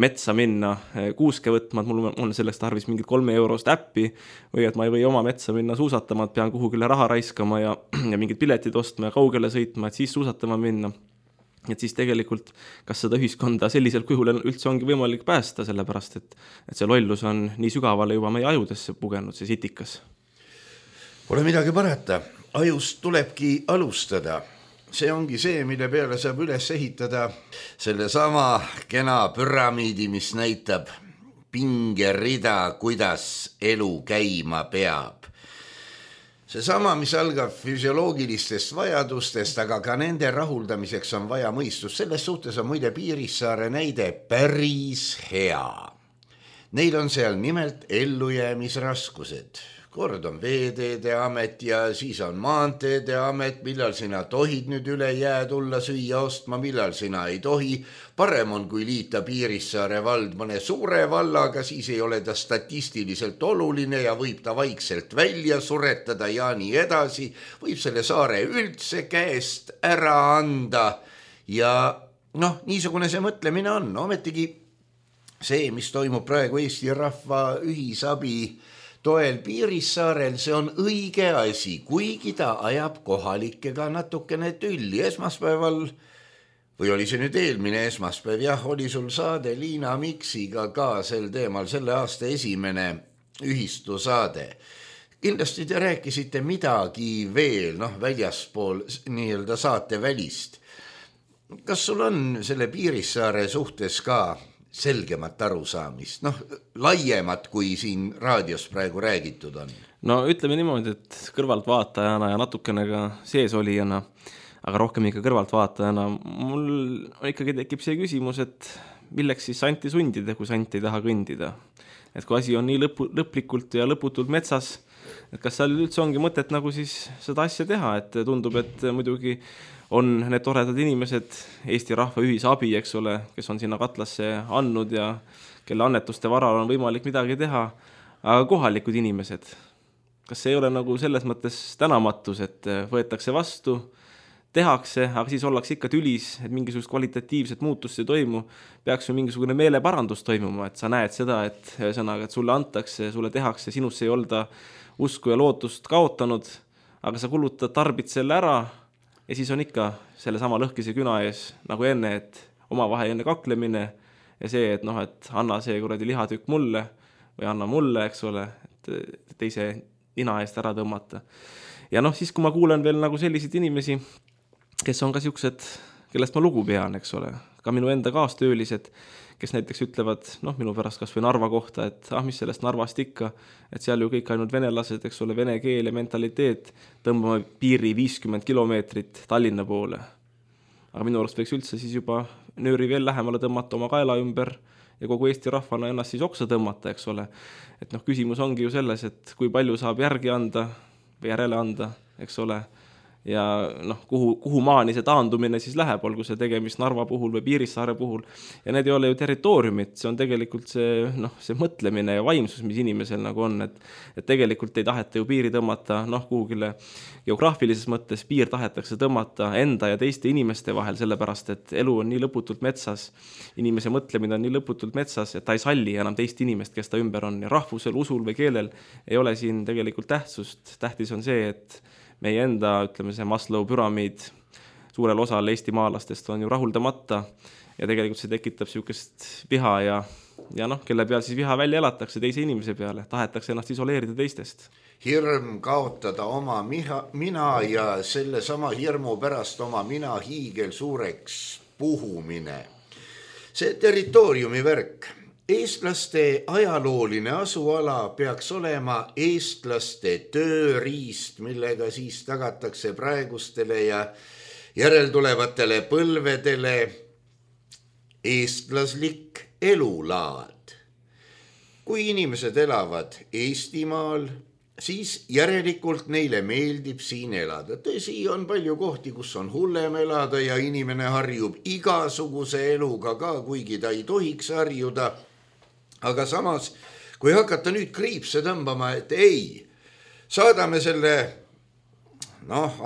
metsa minna kuuske võtma, et mul on selleks tarvis mingit 3 eurost äppi või et ma ei või oma metsa minna suusatama, et pean kuhugile raha raiskama ja mingid piletid ostma ja kaugele sõitma, et siis suusatama minna. Et siis tegelikult, kas seda ühiskonda sellisel kujul üldse ongi võimalik päästa, sellepärast et see lollus on nii sügavale juba meie ajudesse pugenud, see sitikas. Pole midagi parata, ajust tulebki alustada. See ongi see, mille peale saab üles ehitada selle sama kena püramiidi, mis näitab pingerida, kuidas elu käima peab. See sama, mis algab füsioloogilistest vajadustest, aga ka nende rahuldamiseks on vaja mõistust. Selles suhtes on muide Piirissaare näide päris hea. Neil on seal nimelt ellujäämisraskused. Kord on Veeteede Amet ja siis on Maanteede Amet, millal sina tohid nüüd üle jää tulla süüa ostma, millal sina ei tohi. Parem on, kui liita Piirissaare vald mõne suure vallaga, siis ei ole ta statistiliselt oluline ja võib ta vaikselt välja suretada ja nii edasi. Võib selle saare üldse käest ära anda ja noh, niisugune see mõtlemine on. Ometigi see, mis toimub praegu Eesti rahva ühisabi toel Piirissaarel, see on õige asi, kuigi ta ajab kohalikega natukene tülli. Esmaspäeval, või oli see nüüd eelmine esmaspäev, jah, oli sul saade Liina Miksiga ka sel teemal, selle aasta esimene ühistusaade. Kindlasti te rääkisite midagi veel, väljaspool nii-öelda saate välist. Kas sul on selle Piirissaare suhtes ka selgemat arusaamist, laiemat kui siin raadios praegu räägitud on? No ütleme niimoodi, et kõrvaltvaatajana ja natukene ka seesolijana, aga rohkem ikka kõrvaltvaatajana, mul ikkagi tekib see küsimus, et milleks siis santi sundida, kui sant ei taha kõndida. Et kui asi on nii lõplikult ja lõputult metsas, et kas seal üldse ongi mõtet nagu siis seda asja teha, et tundub, et muidugi on need toredad inimesed, Eesti rahva ühisabi, eks ole, kes on sinna katlasse andnud ja kelle annetuste varal on võimalik midagi teha, aga kohalikud inimesed, kas see ei ole nagu selles mõttes tänamatus, et võetakse vastu, tehakse, aga siis ollakse ikka tülis, et mingisugust kvalitatiivset muutust ei toimu, peaks ju mingisugune meeleparandus toimuma, et sa näed seda, et sulle antakse, sulle tehakse, sinusse ei olda usku ja lootust kaotanud, aga sa kulutad, tarbid selle ära, ja siis on ikka selle sama lõhkise küna ees nagu enne, et omavaheline kaklemine ja see, et et anna see kuradi lihatükk mulle või anna mulle, eks ole, et teise nina eest ära tõmmata. Ja siis, kui ma kuulen veel nagu selliseid inimesi, kes on ka siuksed, kellest ma lugu pean, eks ole, ka minu enda kaastöölised, kes näiteks ütlevad, minu pärast kas või Narva kohta, et mis sellest Narvast ikka, et seal ju kõik ainult venelased, eks ole, vene keel ja mentaliteet, tõmbame piiri 50 kilomeetrit Tallinna poole. Aga minu arust võiks üldse siis juba nööri veel lähemale tõmmata oma kaela ümber ja kogu Eesti rahvana ennast siis oksa tõmmata, eks ole. Et küsimus ongi ju selles, et kui palju saab järgi anda või järele anda, eks ole, ja kuhu maani see taandumine siis läheb, olgu see tegemist Narva puhul või Piirissaare puhul. Ja need ei ole ju territooriumid, see on tegelikult see mõtlemine ja vaimsus, mis inimesel nagu on, et tegelikult ei taheta ju piiri tõmmata, kuhugile geograafilises mõttes piir tahetakse tõmmata enda ja teiste inimeste vahel, sellepärast, et elu on nii lõputult metsas, inimese mõtlemine on nii lõputult metsas, et ta ei salli enam teist inimest, kes ta ümber on, ja rahvusel, usul või keelel ei ole siin tegelikult tähtsust. Tähtis on see, et meie enda, ütleme see Maslow püramiid suurel osal Eesti maalastest on ju rahuldamata ja tegelikult see tekitab siukest viha ja kelle peal siis viha välja elatakse teise inimese peale, tahetakse ennast isoleerida teistest. Hirm kaotada oma mina ja selle sama hirmu pärast oma mina hiigel suureks puhumine. See territooriumi värk. Eestlaste ajalooline asuala peaks olema eestlaste tööriist, millega siis tagatakse praegustele ja järeltulevatele põlvedele eestlaslik elulaad. Kui inimesed elavad Eestimaal siis järelikult neile meeldib siin elada. Tõsi, on palju kohti, kus on hullem elada ja inimene harjub igasuguse eluga ka, kuigi ta ei tohiks harjuda. Aga samas, kui hakata nüüd kriipse tõmbama, et ei, saadame selle,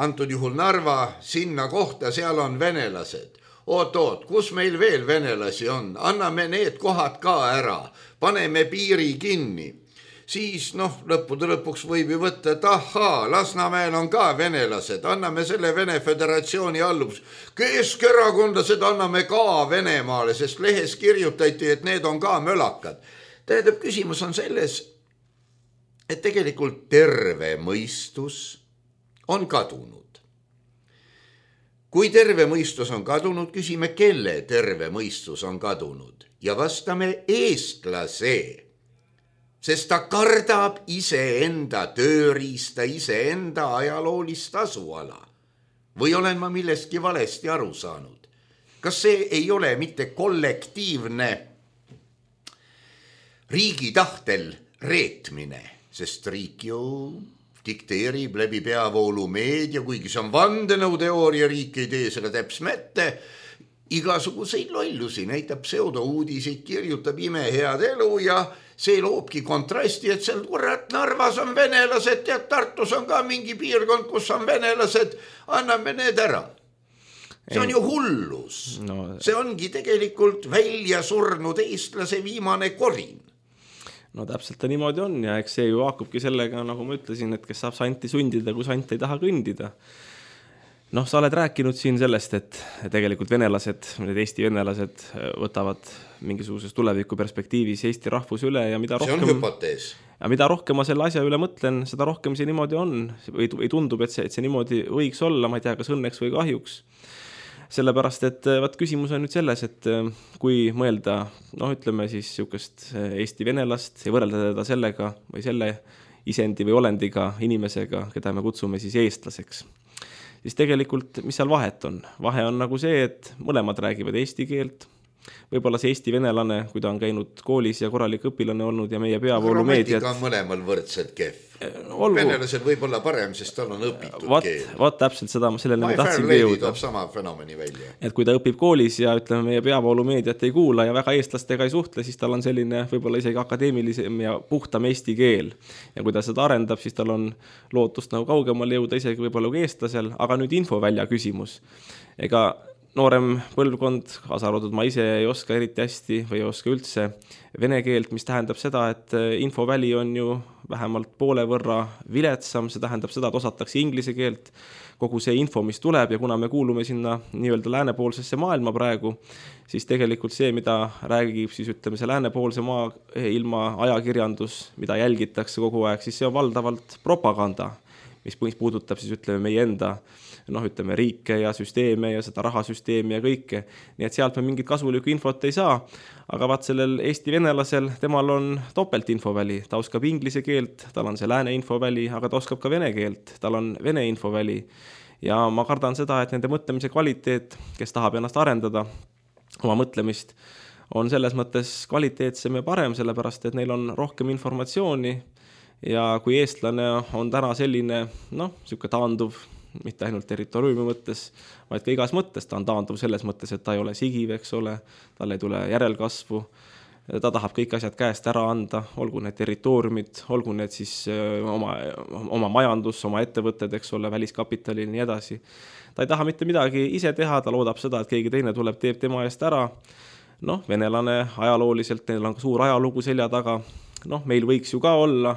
antud juhul Narva sinna kohta, seal on venelased. Oot, kus meil veel venelasi on? Anname need kohad ka ära, paneme piiri kinni. Siis lõppude lõpuks võib ju võtta, et Lasnamäel on ka venelased, anname selle Vene Föderatsiooni alluvuks. Keskerakondlased anname ka Venemaale, sest lehes kirjutati, et need on ka mölakad. Tähendab, küsimus on selles, et tegelikult terve mõistus on kadunud. Kui terve mõistus on kadunud, küsime, kelle terve mõistus on kadunud ja vastame eestlase. Sest ta kardab iseenda tööriista, iseenda ajaloolist asuala. Või olen ma millestki valesti aru saanud? Kas see ei ole mitte kollektiivne riigi tahtel reetmine? Sest riik ju dikteerib läbi peavoolu meedia, kuigi see on vandenõuteooria, riik ei tee selle täpsmette, igasuguseid lollusi, näitab pseudouudiseid, kirjutab imehead elu ja see loobki kontrasti, et seal Narvas on venelased ja Tartus on ka mingi piirkond, kus on venelased, anname need ära. See on ju hullus. See ongi tegelikult välja surnud eestlase viimane korin. Täpselt ta niimoodi on ja eks see ju haakubki sellega, nagu ma ütlesin, et kes saab santi sundida, kui sant ei taha kõndida. Sa oled rääkinud siin sellest, et tegelikult venelased, need Eesti venelased võtavad mingisuguses tuleviku perspektiivis Eesti rahvus üle ja mida rohkem... See on hüpotees. Ja mida rohkem ma selle asja üle mõtlen, seda rohkem see niimoodi on. Või tundub, et see niimoodi võiks olla, ma ei tea, kas õnneks või kahjuks. Sellepärast, et küsimus on nüüd selles, et kui mõelda, ütleme siis sihukest Eesti venelast ja võrrelda teda sellega või selle isendi või olendiga inimesega, keda me kutsume siis eestlaseks, siis tegelikult, mis seal vahet on? Vahe on nagu see, et mõlemad räägivad eesti keelt. Võib-olla see Eesti venelane, kui ta on käinud koolis ja korralik õpilane olnud ja meie peavoolumeediat... Grammatika on mõlemal võrdselt kehv. Venelasel võib olla parem, sest tal on õpitud keel. Vaat täpselt seda, sellele me tahtsingi jõuda. Toob sama fenomeni välja. Et kui ta õpib koolis ja ütleme, meie peavoolumeediat ei kuula ja väga eestlastega ei suhtle, siis tal on selline võib-olla isegi akadeemilisem ja puhtam eesti keel. Ja kui ta seda arendab, siis tal on lootust nagu kaugemal jõuda isegi võib-olla kui eestlasel, aga nüüd infovälja küsimus. Ega noorem põlvkond, kaasa arvatud ma ise ei oska eriti hästi või ei oska üldse vene keelt, mis tähendab seda, et infoväli on ju vähemalt poole võrra viletsam, see tähendab seda, et osatakse inglise keelt, kogu see info, mis tuleb ja kuna me kuulume sinna nii-öelda läänepoolsesse maailma praegu, siis tegelikult see, mida räägib siis ütleme see läänepoolse ilma ajakirjandus, mida jälgitakse kogu aeg, siis see on valdavalt propaganda, mis puudutab siis ütleme meie enda ütleme riike ja süsteeme ja seda rahasüsteemi ja kõike. Nii et sealt me mingit kasulikku infot ei saa, aga vaat sellel Eesti venelasel, temal on topelt infoväli. Ta oskab inglise keelt, tal on see lääne infoväli, aga ta oskab ka vene keelt, tal on vene infoväli. Ja ma kardan seda, et nende mõtlemise kvaliteet, kes tahab ennast arendada, oma mõtlemist, on selles mõttes kvaliteetsem ja parem, sellepärast, et neil on rohkem informatsiooni ja kui eestlane on täna selline, siuke taanduv, mitte ainult territooriumi mõttes, vaid ka igas mõttes. Ta on taanduv selles mõttes, et ta ei ole sigiv, eks ole, tal ei tule järelkasvu, ta tahab kõik asjad käest ära anda, olgu need territooriumid, olgu need siis oma majandus, oma ettevõtted, eks ole, väliskapitali ja nii edasi. Ta ei taha mitte midagi ise teha, ta loodab seda, et keegi teine tuleb, teeb tema eest ära. Venelane ajalooliselt, neil on suur ajalugu selja taga. Meil võiks ju ka olla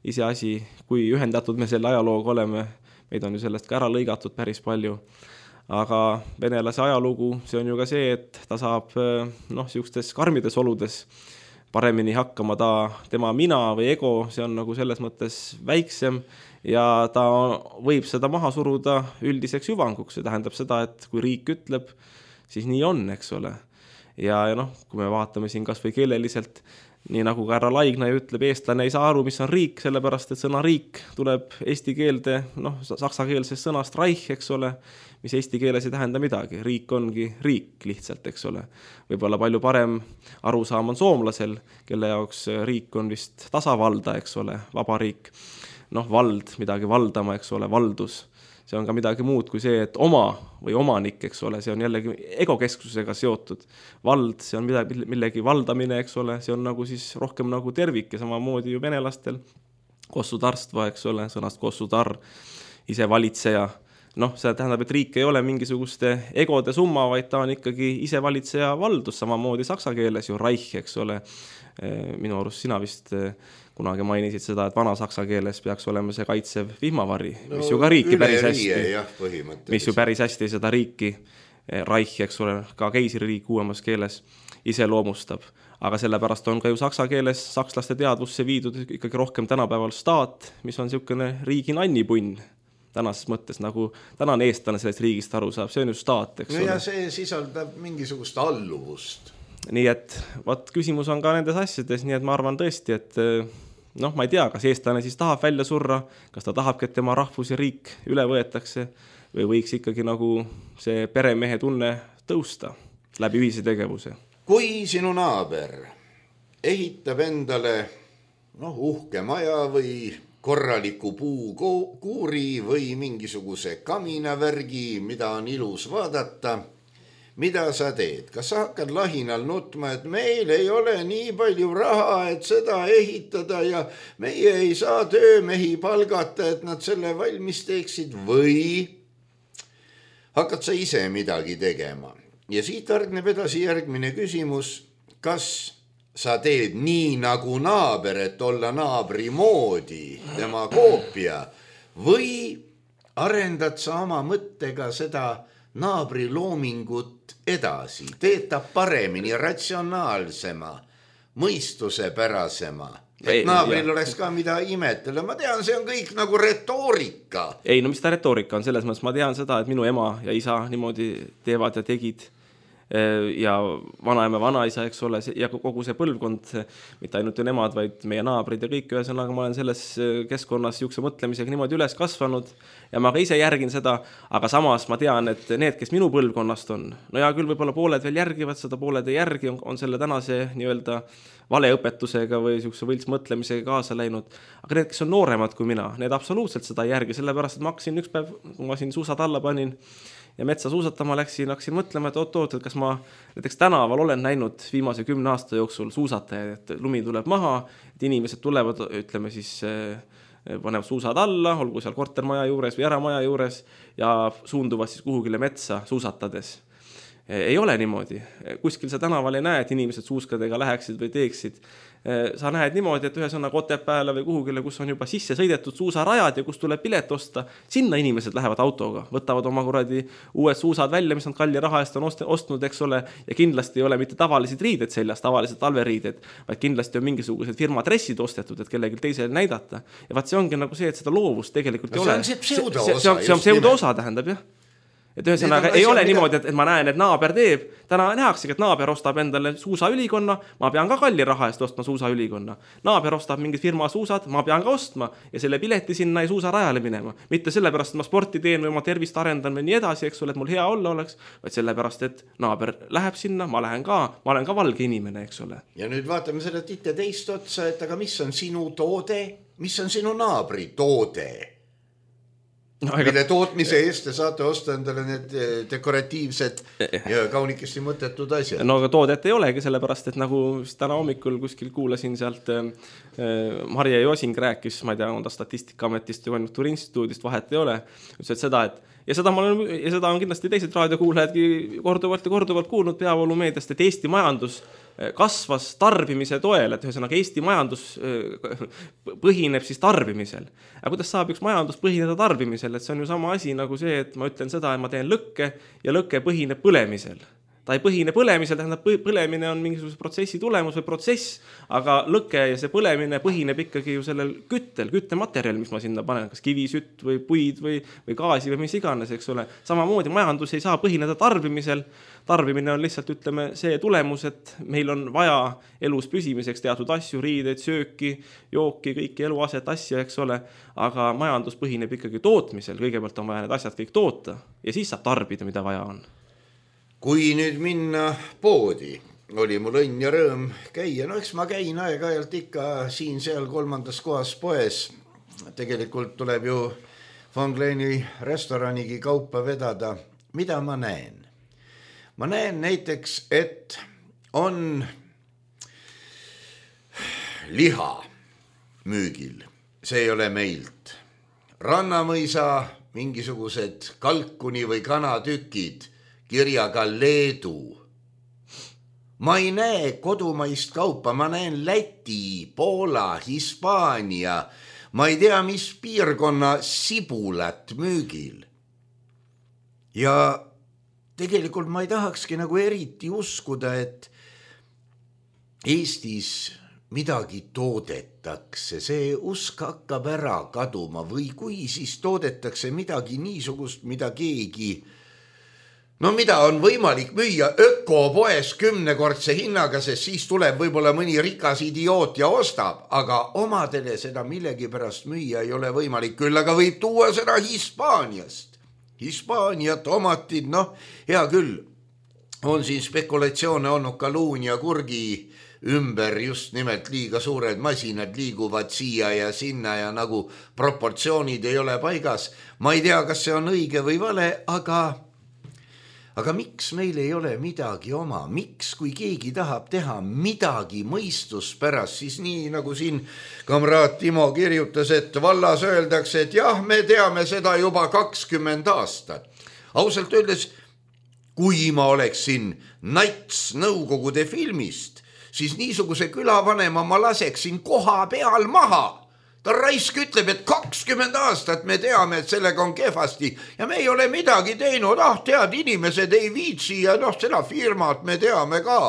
iseasi, kui ühendatud me selle ajalooga oleme, meid on ju sellest ka ära lõigatud päris palju, aga venelase ajalugu, see on ju ka see, et ta saab siukstes karmides oludes paremini hakkama, tema mina või ego, see on nagu selles mõttes väiksem ja ta võib seda maha suruda üldiseks hüvanguks, see tähendab seda, et kui riik ütleb, siis nii on, eks ole. Ja kui me vaatame siin kas või keeleliselt, nii nagu ka härra Laigna ütleb, eestlane ei saa aru, mis on riik, sellepärast, et sõna riik tuleb eesti keelde, saksakeelsest sõnast Reich, eks ole, mis eesti keeles ei tähenda midagi. Riik ongi riik lihtsalt, eks ole. Võib-olla palju parem arusaam on soomlasel, kelle jaoks riik on vist tasavalda, eks ole, vaba riik. vald, midagi valdama, eks ole, valdus. See on ka midagi muud kui see, et oma või omanik, eks ole, see on jällegi egokesksusega seotud. Vald, see on millegi valdamine, eks ole, see on nagu siis rohkem nagu tervik ja samamoodi ju venelastel kossutarstva, eks ole, sõnast kossutar, ise valitseja. See tähendab, et riik ei ole mingisuguste egode summa, vaid ta on ikkagi ise valitseja valdus, samamoodi saksa keeles ju Reich, eks ole. Minu arust sina vist kunagi mainisid seda, et vana saksa keeles peaks olema see kaitsev vihmavari, mis ju ka riiki päris hästi, mis ju päris hästi seda riiki, Reich, eks ole, ka keisririik uuemas keeles iseloomustab. Aga sellepärast on ka ju saksa keeles sakslaste teadvusse viidud ikkagi rohkem tänapäeval staat, mis on niisugune riigi nannipunn tänases mõttes, nagu tänane eestlane sellest riigist aru saab, see on ju staat, eks ole. Ja see sisaldab mingisugust alluvust. Nii et küsimus on ka nendes asjades, nii et ma arvan tõesti, et ma ei tea, kas eestlane siis tahab välja surra, kas ta tahabki, et tema rahvus ja riik üle võetakse või võiks ikkagi nagu see peremehe tunne tõusta läbi ühise tegevuse. Kui sinu naaber ehitab endale uhke maja või korraliku puukuuri või mingisuguse kaminavärgi, mida on ilus vaadata, mida sa teed? Kas sa hakkad lahinal nutma, et meil ei ole nii palju raha, et seda ehitada ja meie ei saa töömehi palgata, et nad selle valmis teeksid, või hakkad sa ise midagi tegema? Ja siit hargneb edasi järgmine küsimus, kas sa teed nii nagu naaber, et olla naabri moodi, tema koopia, või arendad sa oma mõttega seda naabri loomingut edasi, teed ta paremini, ratsionaalsema, mõistusepärasema, et naabril oleks ka mida imetleda. Ma tean, see on kõik nagu retoorika. Ei, mis ta retoorika on? Selles mõttes ma tean seda, et minu ema ja isa niimoodi teevad ja tegid ja vanaema, vanaisa, eks ole, ja kogu see põlvkond, mitte ainult ju nemad, vaid meie naabrid ja kõik, ühesõnaga ma olen selles keskkonnas niisuguse mõtlemisega niimoodi üles kasvanud ja ma ka ise järgin seda, aga samas ma tean, et need, kes minu põlvkonnast on, ja küll võib-olla pooled veel järgivad seda, pooled ei järgi, on selle tänase nii-öelda valeõpetusega või niisuguse võltsmõtlemisega kaasa läinud, aga need, kes on nooremad kui mina, need absoluutselt seda ei järgi, sellepärast, et ma hakkasin üks päev, kui ma siin suusad alla panin ja metsa suusatama hakkasin mõtlema, et oot, et kas ma näiteks tänaval olen näinud viimase 10 aasta jooksul suusatajaid, et lumi tuleb maha, et inimesed tulevad, ütleme siis, panevad suusad alla, olgu seal kortermaja juures või eramaja juures ja suunduvad siis kuhugile metsa suusatades. Ei ole niimoodi. Kuskil sa tänaval ei näe, et inimesed suuskadega läheksid või teeksid. Sa näed niimoodi, et ühesõnaga Otepääle või kuhugile, kus on juba sisse sõidetud suusarajad ja kus tuleb pilet osta, sinna inimesed lähevad autoga, võtavad oma kuradi uued suusad välja, mis on kalli raha eest on ostnud, eks ole, ja kindlasti ei ole mitte tavalised riided seljas, tavalised talveriided, vaid kindlasti on mingisugused firma dressid ostetud, et kellelgi teisele näidata. Ja vaat see ongi nagu see, et seda loovust tegelikult ei ole. See on pseudoosa, tähendab, jah. Et ühesõnaga ei ole niimoodi, et ma näen, et naaber teeb. Täna nähaksegi, et naaber ostab endale suusaülikonna, ma pean ka kalli raha eest ostma suusaülikonna. Naaber ostab mingid firma suusad, ma pean ka ostma ja selle pileti sinna ei suusarajale minema. Mitte sellepärast, et ma sporti teen või oma tervist arendan või nii edasi, eks ole, et mul hea olla oleks, vaid sellepärast, et naaber läheb sinna, ma olen ka valge inimene, eks ole. Ja nüüd vaatame seda titte teist otsa, et aga mis on sinu toode, mis on sinu naabri toode? Mille tootmise eest te saate osta endale need dekoratiivsed ja kaunikesti mõttetud asjad. No aga toodet ei olegi, sellepärast, et nagu täna hommikul kuskil kuulasin sealt Marje Josing rääkis, ma ei tea, on ta Statistikaametist ja Konjunktuuriinstituudist, vahet ei ole. Ütles, et seda, ja seda on kindlasti teised raadiokuulajadki korduvalt kuulnud peavoolumeediast, et Eesti majandus kasvas tarbimise toel, et ühesõnaga Eesti majandus põhineb siis tarbimisel. Aga kuidas saab üks majandus põhineda tarbimisel? Et see on ju sama asi nagu see, et ma ütlen seda, et ma teen lõkke ja lõkke põhineb põlemisel. Ta ei põhine põlemisel, tähendab põlemine on mingisuguse protsessi tulemus või protsess, aga lõke ja see põlemine põhineb ikkagi ju sellel küttematerjal, mis ma sinna panen, kas kivisütt või puid või gaasi või mis iganes, eks ole. Samamoodi majandus ei saa põhineda tarbimisel. Tarbimine on lihtsalt, ütleme, see tulemus, et meil on vaja elus püsimiseks teatud asju, riideid, sööki, jooki, kõiki eluaset asju, eks ole, aga majandus põhineb ikkagi tootmisel. Kõigepealt on vaja need asjad kõik toota ja siis saab tarbida, mida vaja on. Kui nüüd minna poodi, oli mul õnn ja rõõm käia. No eks ma käin aeg-ajalt ikka siin-seal 3. kohas poes tegelikult tuleb ju Von Kleini restoranigi kaupa vedada. Mida ma näen? Ma näen näiteks, et on liha müügil. See ei ole meilt. Rannamõisa mingisugused kalkuni või kanatükid kirjaga Leedu. Ma ei näe kodumaist kaupa, ma näen Läti, Poola, Hispaania, ma ei tea, mis piirkonna sibulat müügil. Ja tegelikult ma ei tahakski nagu eriti uskuda, et Eestis midagi toodetakse, see usk hakkab ära kaduma või kui siis toodetakse midagi niisugust, mida keegi, no mida on võimalik müüa ökopoes 10-kordse hinnaga, sest siis tuleb võib-olla mõni rikas idioot ja ostab, aga omadele seda millegipärast müüa ei ole võimalik, küll aga võib tuua seda Hispaaniast. Hispaania tomatid, noh, hea küll, on siin spekulatsioone olnud kaluun ja kurgi ümber, just nimelt liiga suured masinad liiguvad siia ja sinna ja nagu proportsioonid ei ole paigas. Ma ei tea, kas see on õige või vale, aga miks meil ei ole midagi oma? Miks, kui keegi tahab teha midagi mõistuspärast, siis nii nagu siin kamraad Timo kirjutas, et vallas öeldakse, et jah, me teame seda juba 20 aastat. Ausalt öeldes, kui ma oleksin nats Nõukogude filmist, siis niisuguse külavanema ma laseksin koha peal maha. Ta raisk ütleb, et 20 aastat me teame, et sellega on kehvasti ja me ei ole midagi teinud. Tead, inimesed ei viitsi ja seda firmat me teame ka.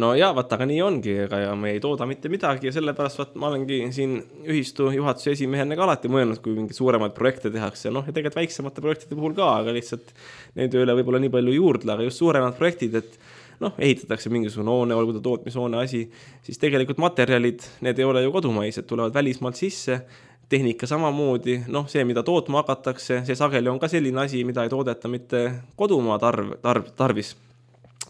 No ja, aga nii ongi, ja me ei tooda mitte midagi ja sellepärast ma olengi siin ühistu juhatuse esimehena ka alati mõelnud, kui mingi suuremaid projekte tehakse. Ja tegelikult väiksemate projektide puhul ka, aga lihtsalt neid üle võib-olla nii palju juurdle, aga just suuremad projektid, et ehitatakse mingisugune hoone, olgu ta tootmishoone asi, siis tegelikult materjalid, need ei ole ju kodumaised, tulevad välismaalt sisse, tehnika samamoodi, see, mida tootma hakatakse, see sageli on ka selline asi, mida ei toodeta mitte kodumaa tarvis,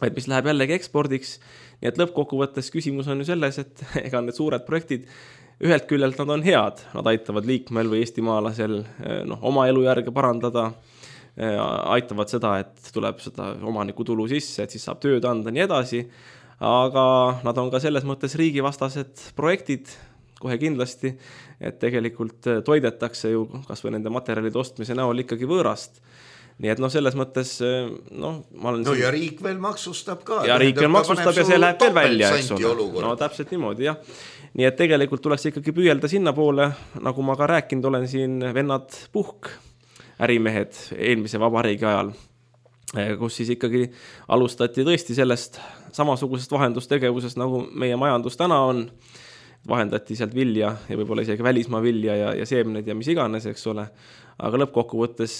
vaid mis läheb jällegi ekspordiks. Nii et lõppkokkuvõttes küsimus on ju selles, et ega need suured projektid, ühelt küljelt nad on head, nad aitavad liikmel või eestimaalasel oma elujärge parandada, aitavad seda, et tuleb seda omaniku tulu sisse, et siis saab tööd anda nii edasi, aga nad on ka selles mõttes riigivastased projektid kohe kindlasti, et tegelikult toidetakse ju kas või nende materjalide ostmise näol ikkagi võõrast. Nii et selles mõttes ma olen ja riik veel maksustab ka. Ja riik veel maksustab ja see läheb veel välja, eks ole. No täpselt niimoodi, jah. Nii et tegelikult tuleks ikkagi püüelda sinna poole, nagu ma ka rääkinud olen siin vennad Puhk, ärimehed eelmise vabariigi ajal, kus siis ikkagi alustati tõesti sellest samasugusest vahendustegevusest, nagu meie majandus täna on. Vahendati sealt vilja ja võib-olla isegi välismaa vilja ja seemned ja mis iganes, eks ole. Aga lõppkokkuvõttes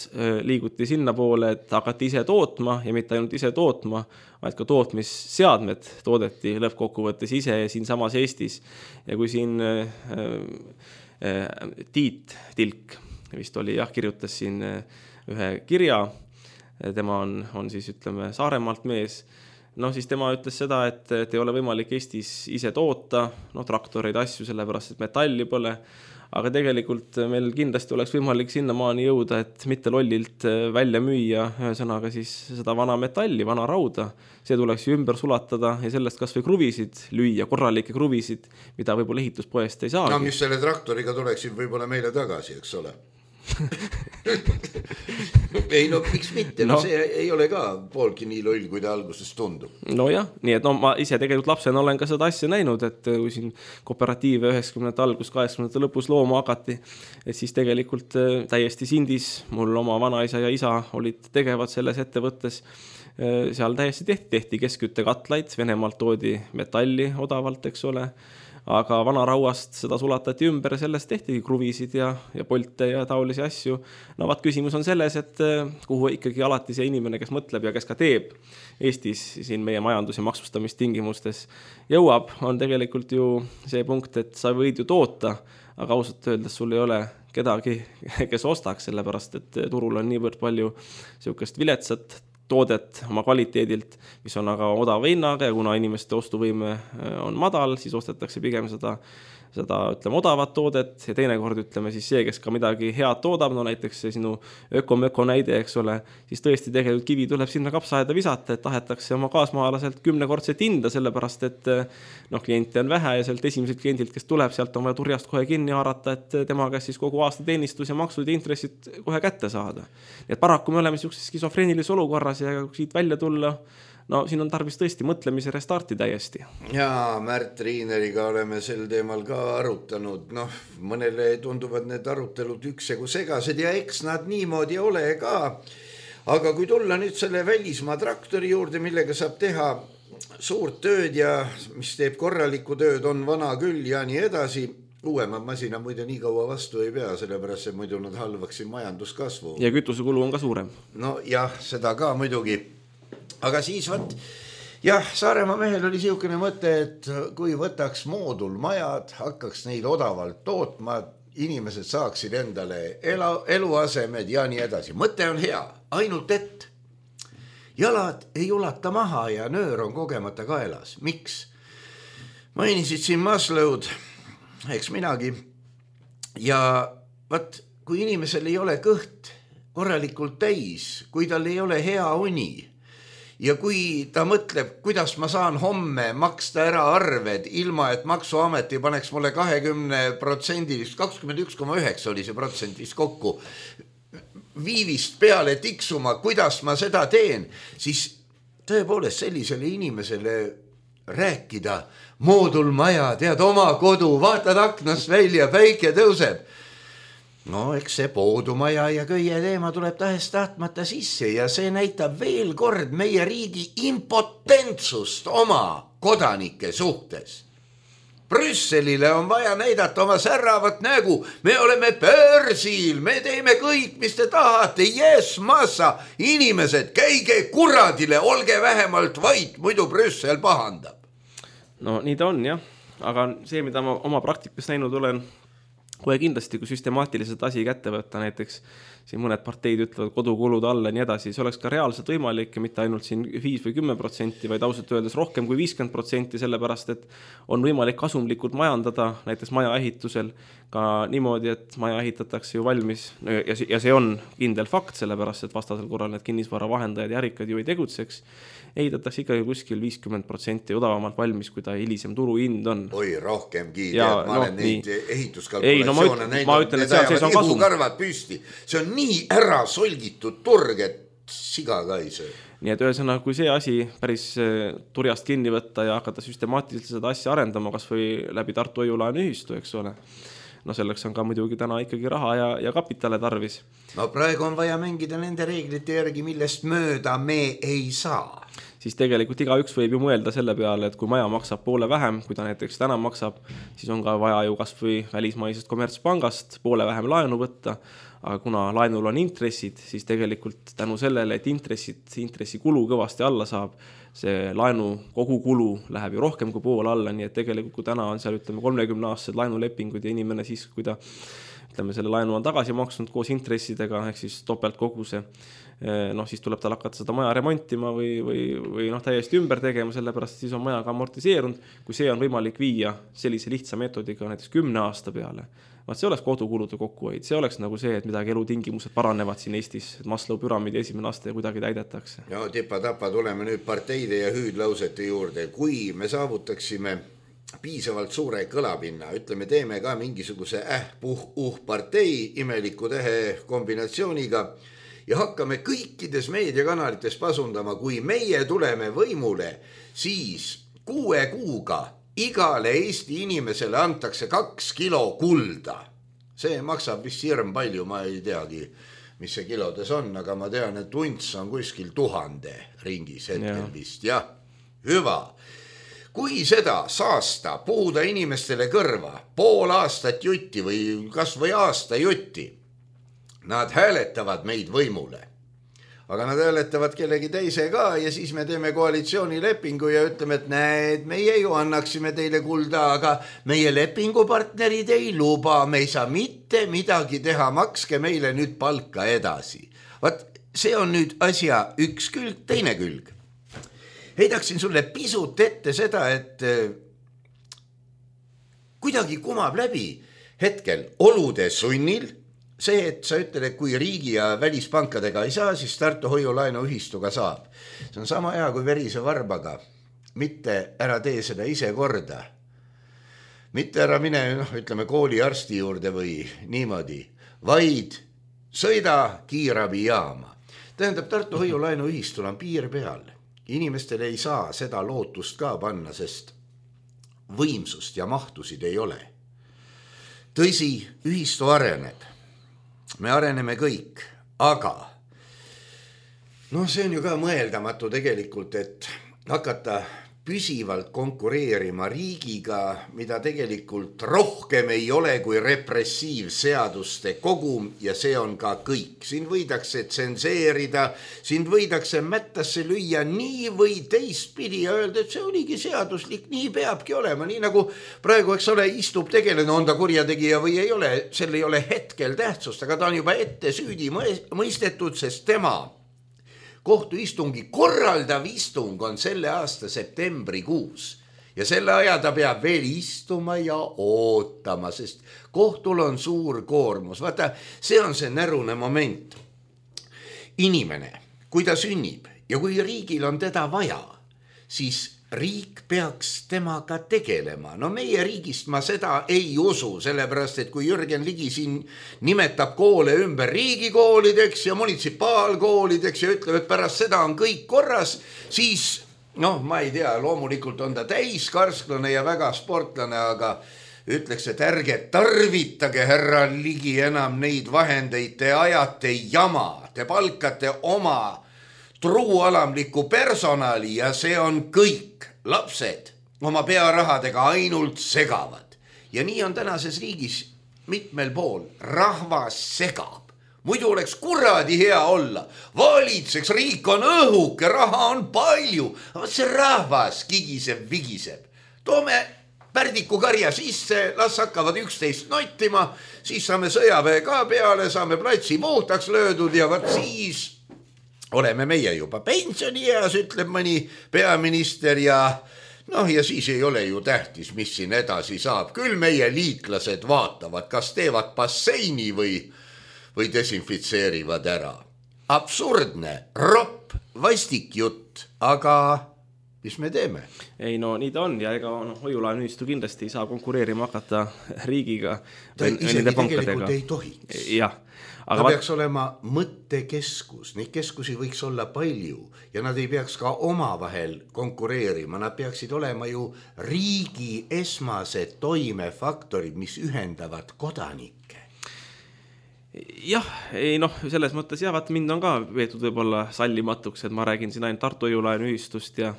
liiguti sinna poole, et hakati ise tootma ja mitte ainult ise tootma, vaid ka tootmisseadmed toodeti lõppkokkuvõttes ise siin samas Eestis. Ja kui siin Tiit Tilk vist oli, kirjutas siin ühe kirja, tema on siis ütleme Saaremaalt mees, siis tema ütles seda, et ei ole võimalik Eestis ise toota, traktoreid asju, sellepärast, et metalli pole, aga tegelikult meil kindlasti oleks võimalik sinnamaani jõuda, et mitte lollilt välja müüa ühesõnaga siis seda vana metalli, vana rauda, see tuleks ju ümber sulatada ja sellest kas või kruvisid lüüa, korralikke kruvisid, mida võib-olla ehituspoest ei saagi. Mis selle traktoriga tuleksid võib-olla meile tagasi, eks ole? Ei, miks mitte, see ei ole ka poolki nii loll, kui ta alguses tundub. Jah, nii et ma ise tegelikult lapsena olen ka seda asja näinud, et kui siin kooperatiive 90. algus, 80. lõpus looma hakati, et siis tegelikult täiesti sindis, mul oma vanaisa ja isa olid tegevad selles ettevõttes, seal täiesti tehti keskküttekatlaid, Venemaalt toodi metalli odavalt, eks ole, aga vana rauast seda sulatati ümber ja sellest tehtigi kruvisid ja polte ja taolisi asju. Vaat küsimus on selles, et kuhu ikkagi alati see inimene, kes mõtleb ja kes ka teeb Eestis siin meie majandus- ja maksustamistingimustes jõuab, on tegelikult ju see punkt, et sa võid ju toota, aga ausalt öeldes sul ei ole kedagi, kes ostaks, sellepärast, et turul on niivõrd palju niisugust viletsat toodet oma kvaliteedilt, mis on aga odava hinnaga ja kuna inimeste ostuvõime on madal, siis ostetakse pigem seda ütleme odavat toodet ja teinekord ütleme siis see, kes ka midagi head toodab, no näiteks see sinu öko näide, eks ole, siis tõesti tegelikult kivi tuleb sinna kapsaaeda visata, et tahetakse oma kaasmaalaselt 10-kordset hinda, sellepärast et kliente on vähe ja sealt esimesed kliendilt, kes tuleb, sealt on vaja turjast kohe kinni haarata, et tema käest siis kogu aasta teenistus ja maksud ja intressid kohe kätte saada. Nii et paraku me oleme sellises skisofreenilises olukorras ja siit välja tulla, no siin on tarvis tõesti mõtlemise restarti täiesti. Jaa, Märt Riineriga oleme sel teemal ka arutanud. Mõnele tunduvad need arutelud üksjagu segased ja eks nad niimoodi ole ka. Aga kui tulla nüüd selle välismaa traktori juurde, millega saab teha suurt tööd ja mis teeb korralikku tööd, on vana küll ja nii edasi. Uuemad masina muide nii kaua vastu ei pea, sellepärast et muidu nad halvaksid majanduskasvu. Ja kütusekulu on ka suurem. No jah, seda ka muidugi. Aga siis jah, Saaremaa mehel oli siukene mõte, et kui võtaks moodulmajad, hakkaks neid odavalt tootma, inimesed saaksid endale eluasemed ja nii edasi. Mõte on hea, ainult et jalad ei ulata maha ja nöör on kogemata kaelas. Miks? Mainisid siin Maslow'd, eks minagi. Ja kui inimesel ei ole kõht korralikult täis, kui tal ei ole hea uni, ja kui ta mõtleb, kuidas ma saan homme maksta ära arved, ilma et maksuameti paneks mulle 20%, 21,9 oli see protsent vist kokku, viivist peale tiksuma, kuidas ma seda teen, siis tõepoolest sellisele inimesele rääkida, moodulmaja, tead oma kodu, vaatad aknast välja, päike tõuseb. No eks see poodumaja ja köie teema tuleb tahes tahtmata sisse ja see näitab veel kord meie riigi impotentsust oma kodanike suhtes. Brüsselile on vaja näidata oma särravat nägu, me oleme börsil, me teeme kõik, mis te tahate, yes, massa, inimesed, käige kuradile, olge vähemalt vait, muidu Brüssel pahandab. No nii ta on jah, aga see, mida ma oma praktikas näinud olen, kohe kindlasti, kui süstemaatiliselt asi kätte võtta, näiteks siin mõned parteid ütlevad kodukulud alla ja nii edasi, see oleks ka reaalselt võimalik ja mitte ainult siin 5 või 10%, vaid ausalt öeldes rohkem kui 50%, sellepärast et on võimalik kasumlikult majandada näiteks maja ehitusel ka niimoodi, et maja ehitatakse ju valmis ja see on kindel fakt, sellepärast et vastasel korral need kinnisvara vahendajad ja ärikad ju ei tegutseks, ehitatakse ikkagi kuskil 50% odavamalt valmis, kui ta hilisem turuhind on. Oi, rohkemgi, tead, ma olen neid ehituskalkulatsioone näinud, need ajavad ihukarvad püsti. See on nii ära solgitud turg, et siga ka ei söö. Nii et ühesõnaga, kui see asi päris turjast kinni võtta ja hakata süstemaatiliselt seda asja arendama, kas või läbi Tartu hoiulaenu ühistu, eks ole. No selleks on ka muidugi täna ikkagi raha ja kapitale tarvis. No praegu on vaja mängida nende reeglite järgi, millest mööda me ei saa. Siis tegelikult igaüks võib ju mõelda selle peale, et kui maja maksab poole vähem, kui ta näiteks täna maksab, siis on ka vaja ju kas või välismaisest kommertspangast poole vähem laenu võtta, aga kuna laenul on intressid, siis tegelikult tänu sellele, et intressikulu kõvasti alla saab, see laenu kogukulu läheb ju rohkem kui pool alla, nii et tegelikult kui täna on seal 30-aastased laenulepingud ja inimene siis, kui ta selle laenu on tagasi maksnud koos intressidega, ehk siis topelt koguse, siis tuleb tal hakata seda maja remontima või täiesti ümber tegema, sellepärast siis on maja ka amortiseerunud, kui see on võimalik viia sellise lihtsa meetodiga näiteks 10 aasta peale. See oleks kodukulude kokkuhoid, see oleks nagu see, et midagi elutingimused paranevad siin Eestis, et Maslow püramiidi esimene aste kuidagi täidetakse. No tipa-tapa tuleme nüüd parteide ja hüüdlausete juurde, kui me saavutaksime piisavalt suure kõlapinna, ütleme, teeme ka mingisuguse partei imeliku tähe kombinatsiooniga ja hakkame kõikides meediakanalites pasundama, kui meie tuleme võimule, siis 6 kuuga igale Eesti inimesele antakse 2 kilo kulda. See maksab vist hirm palju, ma ei teagi, mis see kilodes on, aga ma tean, et unts on kuskil 1000 ringis hetkel vist, jah, hüva. Kui seda saasta, puhuda inimestele kõrva, pool aastat jutti või kas või aasta jutti, nad hääletavad meid võimule. Aga nad hääletavad kellegi teise ka ja siis me teeme koalitsioonilepingu ja ütleme, et näed, meie ju annaksime teile kulda, aga meie lepingupartnerid ei luba, me ei saa mitte midagi teha, makske meile nüüd palka edasi. see on nüüd asja üks külg, teine külg. Heidaksin sulle pisut ette seda, et kuidagi kumab läbi hetkel olude sunnil see, et sa ütled, et kui riigi ja välispankadega ei saa, siis Tartu hoiulaenuühistuga saab. See on sama hea kui verise varbaga. Mitte ära tee seda ise korda. Mitte ära mine, ütleme, kooliarsti juurde või niimoodi, vaid sõida kiirabijaama. Tähendab, Tartu hoiulaenuühistul on piir peal. Inimestele ei saa seda lootust ka panna, sest võimsust ja mahtusid ei ole. Tõsi, ühistu areneb. Me areneme kõik, aga see on ju ka mõeldamatu tegelikult, et hakata püsivalt konkureerima riigiga, mida tegelikult rohkem ei ole kui repressiivseaduste kogum ja see on ka kõik. Siin võidakse tsenseerida, siin võidakse mättasse lüüa nii või teistpidi ja öelda, et see oligi seaduslik, nii peabki olema. Nii nagu praegu, eks ole, istub tegelane, on ta kurjategija või ei ole, sel ei ole hetkel tähtsust, aga ta on juba ette süüdi mõistetud, sest tema kohtuistungi korraldav istung on selle aasta septembrikuus ja selle aja ta peab veel istuma ja ootama, sest kohtul on suur koormus. Vaata, see on see närune moment. Inimene, kui ta sünnib ja kui riigil on teda vaja, siis riik peaks temaga tegelema. Meie riigist ma seda ei usu, sellepärast, et kui Jürgen Ligi siin nimetab koole ümber riigikoolideks ja munitsipaalkoolideks ja ütleb, et pärast seda on kõik korras, siis, ma ei tea, loomulikult on ta täiskarsklane ja väga sportlane, aga ütleks, et ärge tarvitage, härra Ligi, enam neid vahendeid, te ajate jama, te palkate oma truualamliku personali ja see on kõik. Lapsed oma pearahadega ainult segavad. Ja nii on tänases riigis mitmel pool. Rahvas segab. Muidu oleks kuradi hea olla. Valitseks, riik on õhuke, raha on palju. Aga see rahvas kigiseb, vigiseb. Toome Pärdiku karja sisse, las hakkavad 11 nottima, siis saame sõjaväe ka peale, saame platsi puhtaks löödud ja vaat siis oleme meie juba pensionieas, ütleb mõni peaminister ja siis ei ole ju tähtis, mis siin edasi saab. Küll meie liitlased vaatavad, kas teevad basseini või desinfitseerivad ära. Absurdne, ropp, vastik jutt, aga mis me teeme? Ei, nii ta on ja ega hoiulaenuühistu kindlasti ei saa konkureerima hakata riigiga. Ta isegi tegelikult ei tohiks. Jah. Ta peaks olema mõttekeskus, neid keskusi võiks olla palju ja nad ei peaks ka omavahel konkureerima, nad peaksid olema ju riigi esmased toimefaktorid, mis ühendavad kodanikke. Jah, selles mõttes vaat mind on ka veetud võib-olla sallimatuks, et ma räägin siin ainult Tartu hoiulaenuühistust ja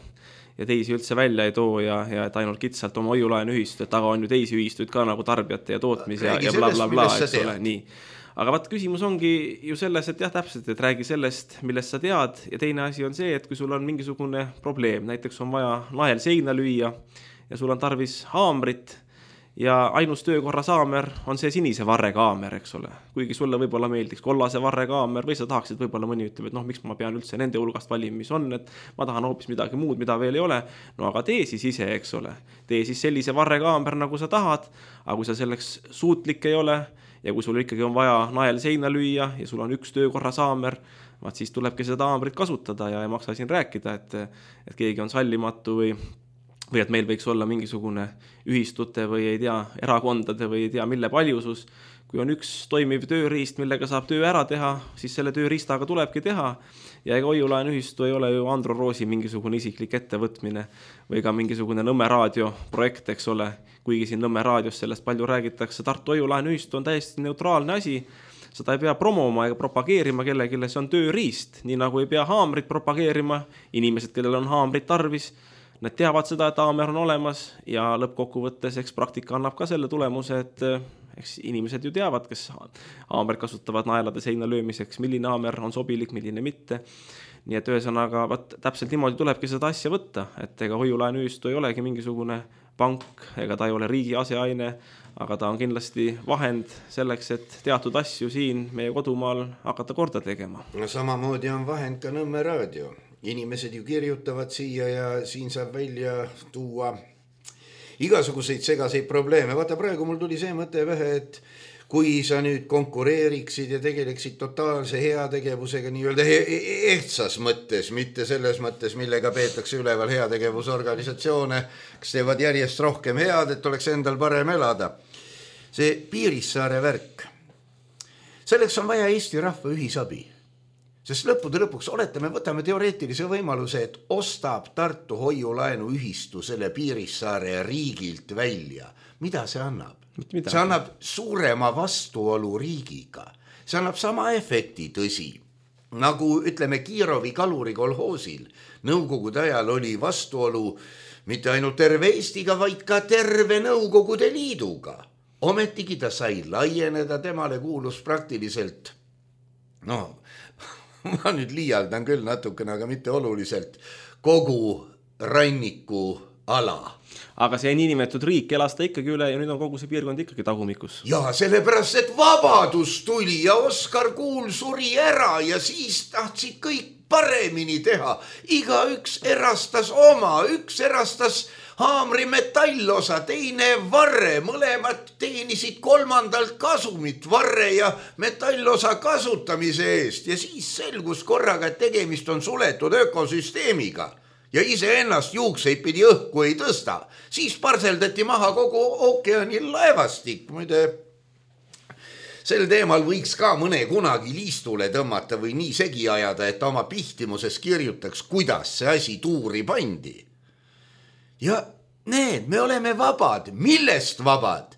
teisi üldse välja ei too ja et ainult kitsalt oma hoiulaenuühistut, aga on ju teisi ühistuid ka nagu tarbijate ja tootmise ja blablabla, eks ole, nii. Aga vaat küsimus ongi ju selles, et täpselt, et räägi sellest, millest sa tead ja teine asi on see, et kui sul on mingisugune probleem, näiteks on vaja nael seina lüüa ja sul on tarvis haamrit ja ainus töökorra saamer on see sinise varrega haamer, eks ole. Kuigi sulle võib-olla meeldiks kollase varrega haamer või sa tahaksid võib-olla mõni ütleb, et miks ma pean üldse nende hulgast valima, mis on, et ma tahan hoopis midagi muud, mida veel ei ole. Aga tee siis ise, eks ole. Tee siis sellise varrega haamer, nagu sa tahad, aga kui sa selleks suutlik ei ole ja kui sul ikkagi on vaja nael seina lüüa ja sul on üks töökorra saamer, vaat siis tulebki seda haamrit kasutada ja ei maksa siin rääkida, et keegi on sallimatu või et meil võiks olla mingisugune ühistute või ei tea, erakondade või ei tea, mille paljusus. Kui on üks toimiv tööriist, millega saab töö ära teha, siis selle tööriistaga tulebki teha. Ja ega hoiulaenuühistu ei ole ju Andro Roosi mingisugune isiklik ettevõtmine või ka mingisugune Nõmme raadio projekt, eks ole. Kuigi siin Nõmme raadios sellest palju räägitakse, Tartu hoiulaenuühistu on täiesti neutraalne asi. Seda ei pea promoma ega propageerima kellelegi, see on tööriist. Nii nagu ei pea haamrit propageerima, inimesed, kellel on haamrit tarvis, nad teavad seda, et haamer on olemas ja lõppkokkuvõttes eks praktika annab ka selle tulemuse, et eks inimesed ju teavad, kes haamrit kasutavad naelade seina löömiseks, milline haamer on sobilik, milline mitte. Nii et ühesõnaga täpselt niimoodi tulebki seda asja võtta, et ega hoiulaenuühistu ei olegi mingisugune pank ega ta ei ole riigi aseaine, aga ta on kindlasti vahend selleks, et teatud asju siin meie kodumaal hakata korda tegema. No samamoodi on vahend ka Nõmme raadio. Inimesed ju kirjutavad siia ja siin saab välja tuua igasuguseid segaseid probleeme. Vaata, praegu mul tuli see mõte vähe, et kui sa nüüd konkureeriksid ja tegeleksid totaalse heategevusega nii-öelda ehtsas mõttes, mitte selles mõttes, millega peetakse üleval heategevusorganisatsioone, kes teevad järjest rohkem head, et oleks endal parem elada. See Piirissaare värk. Selleks on vaja Eesti rahva ühisabi. Sest lõppude lõpuks me võtame teoreetilise võimaluse, et ostab Tartu hoiulaenu ühistu selle Piirissaare riigilt välja. Mida see annab? See annab suurema vastuolu riigiga. See annab sama efekti, tõsi. Nagu ütleme Kiirovi kaluri kolhoosil. Nõukogude ajal oli vastuolu mitte ainult terve Eestiga, vaid ka terve Nõukogude Liiduga. Ometigi ta sai laieneda, temale kuulus praktiliselt, ma nüüd liialdan küll natukene, aga mitte oluliselt, kogu ranniku ala. Aga see niinimetatud riik elas ta ikkagi üle ja nüüd on kogu see piirkond ikkagi tagumikus. Ja sellepärast, et vabadus tuli ja Oskar Kuul suri ära ja siis tahtsid kõik paremini teha. Igaüks erastas oma, üks erastas haamri metallosa, teine varre, mõlemad teenisid kolmandalt kasumit varre ja metallosa kasutamise eest ja siis selgus korraga, et tegemist on suletud ökosüsteemiga ja iseennast juukseid pidi õhku ei tõsta. Siis parseldati maha kogu ookeanil laevastik. Muide, sel teemal võiks ka mõne kunagi liistule tõmmata või nii segi ajada, et oma pihtimuses kirjutaks, kuidas see asi tuuri pandi. Ja need, me oleme vabad. Millest vabad?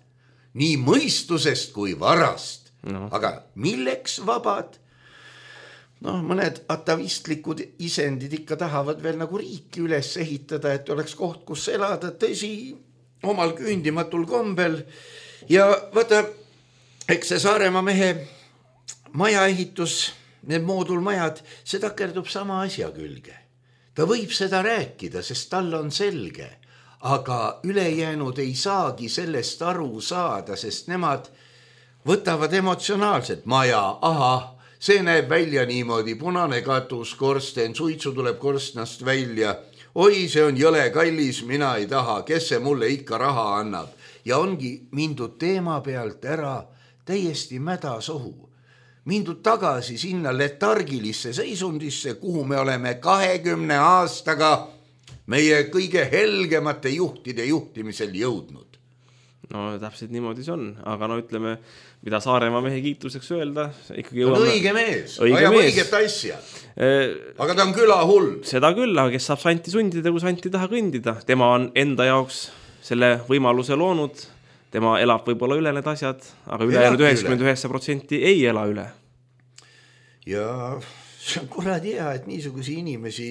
Nii mõistusest kui varast. Aga milleks vabad? Mõned atavistlikud isendid ikka tahavad veel nagu riiki üles ehitada, et oleks koht, kus elada, tõsi, omal küündimatul kombel. Ja vaata, eks see Saaremaa mehe majaehitus, need moodulmajad, see takerdub sama asja külge. Ta võib seda rääkida, sest tal on selge, aga ülejäänud ei saagi sellest aru saada, sest nemad võtavad emotsionaalselt maja, see näeb välja niimoodi, punane katus, korsten, suitsu tuleb korstnast välja, oi, see on jõle kallis, mina ei taha, kes see mulle ikka raha annab. Ja ongi mindud teema pealt ära täiesti mädasohu. Mindud tagasi sinna letargilisse seisundisse, kuhu me oleme 20 aastaga meie kõige helgemate juhtide juhtimisel jõudnud. Täpselt niimoodi see on, aga ütleme, mida Saaremaa mehe kiituseks öelda, ikkagi jõuame... õige mees, ajab õiget asja. Aga ta on küla hull. Seda küll, aga kes saab santi sundida, kui santi taha kõndida. Tema on enda jaoks selle võimaluse loonud. Tema elab võib-olla üle need asjad, aga ülejäänud 99% ei ela üle. Ja see on kuradi hea, et niisugusi inimesi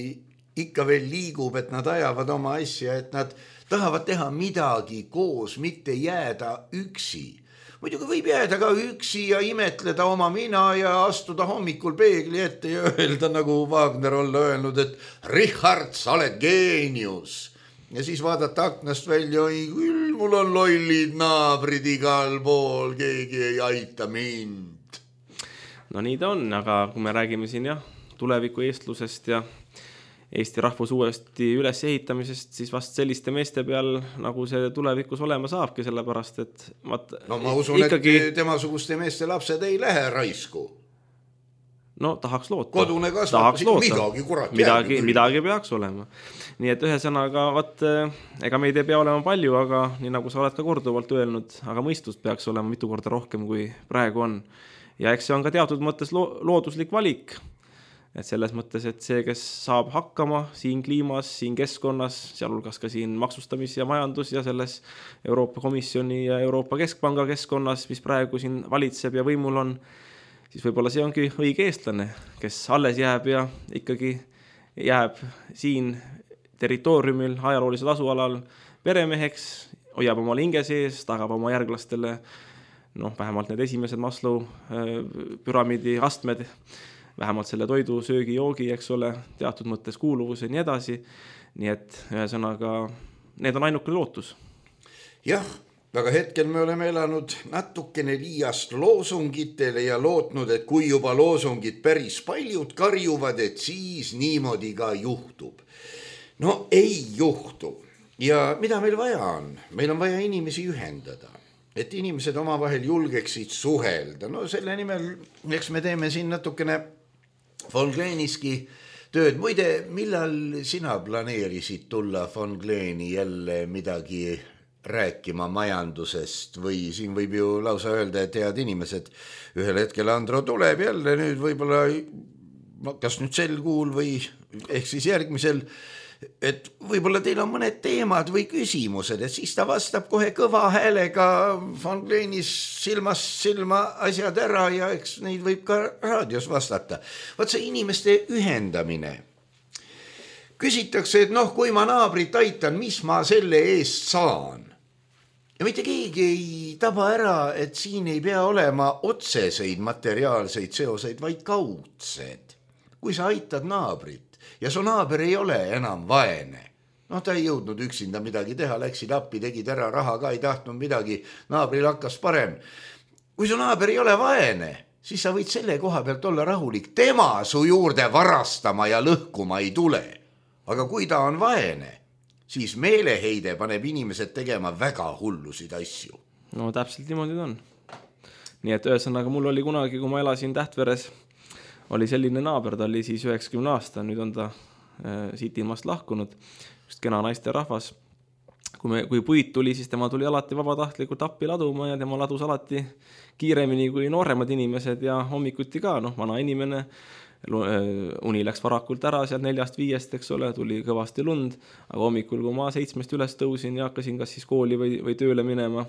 ikka veel liigub, et nad ajavad oma asja, et nad tahavad teha midagi koos, mitte jääda üksi. Muidugi võib jääda ka üksi ja imetleda oma mina ja astuda hommikul peegli ette ja öelda, nagu Wagner olla öelnud, et Richard, sa oled geenius. Ja siis vaadata aknast välja, küll mul on lollid naabrid igal pool, keegi ei aita mind. Nii ta on, aga kui me räägime siin tuleviku eestlusest ja Eesti rahvus uuesti üles ehitamisest, siis vast selliste meeste peal, nagu see tulevikus olema saabki, sellepärast, et ma usun, ikkagi... et temasuguste meeste lapsed ei lähe raisku. Tahaks loota. Kodune kasvatus, midagi peaks olema. Nii et ühesõnaga, ega meid ei pea olema palju, aga nii nagu sa oled ka korduvalt öelnud, aga mõistust peaks olema mitu korda rohkem, kui praegu on. Ja eks see on ka teatud mõttes looduslik valik. Et selles mõttes, et see, kes saab hakkama siin kliimas, siin keskkonnas, sealhulgas ka siin maksustamis- ja majandus ja selles Euroopa Komisjoni ja Euroopa Keskpanga keskkonnas, mis praegu siin valitseb ja võimul on, siis võib-olla see ongi õige eestlane, kes alles jääb ja ikkagi jääb siin territooriumil, ajaloolisel asualal peremeheks, hoiab oma hinge sees, tagab oma järglastele, vähemalt need esimesed Maslow püramiidi astmed, vähemalt selle toidu, söögi, joogi, eks ole, teatud mõttes kuuluvus ja nii edasi. Nii et ühesõnaga, need on ainukene lootus. Jah, aga hetkel me oleme elanud natukene liiast loosungitele ja lootnud, et kui juba loosungid päris paljud karjuvad, et siis niimoodi ka juhtub. No ei juhtu. Ja mida meil vaja on? Meil on vaja inimesi ühendada, et inimesed omavahel julgeksid suhelda. No selle nimel, eks me teeme siin natukene von Kleeniski tööd. Muide, millal sina planeerisid tulla von Kleeni jälle midagi rääkima majandusest või siin võib ju lausa öelda, et head inimesed, ühel hetkel Andro tuleb jälle nüüd võib-olla, kas nüüd sel kuul või ehk siis järgmisel, et võib-olla teil on mõned teemad või küsimused, et siis ta vastab kohe kõva häälega von Kleenis silmast silma asjad ära ja eks neid võib ka raadios vastata. Vaat see inimeste ühendamine. Küsitakse, et noh, kui ma naabrit aitan, mis ma selle eest saan? Ja mitte keegi ei taba ära, et siin ei pea olema otseseid materiaalseid seoseid, vaid kaudsed. Kui sa aitad naabrit ja su naaber ei ole enam vaene, noh, ta ei jõudnud üksinda midagi teha, läksid appi, tegid ära, raha ka ei tahtnud midagi, naabril hakkas parem. Kui su naaber ei ole vaene, siis sa võid selle koha pealt olla rahulik. Tema su juurde varastama ja lõhkuma ei tule. Aga kui ta on vaene, siis meeleheide paneb inimesed tegema väga hullusid asju. No täpselt niimoodi on. Nii et ühesõnaga mul oli kunagi, kui ma elasin Tähtveres, oli selline naaber, ta oli siis 90 aasta, nüüd on ta siit ilmast lahkunud, just kena naiste rahvas. Kui puit tuli, siis tema tuli alati vabatahtlikult appi laduma ja tema ladus alati kiiremini kui nooremad inimesed ja hommikuti ka, noh, vana inimene, uni läks varakult ära seal 4-5, eks ole, tuli kõvasti lund, aga hommikul, kui ma 7 üles tõusin ja hakkasin kas siis kooli või tööle minema,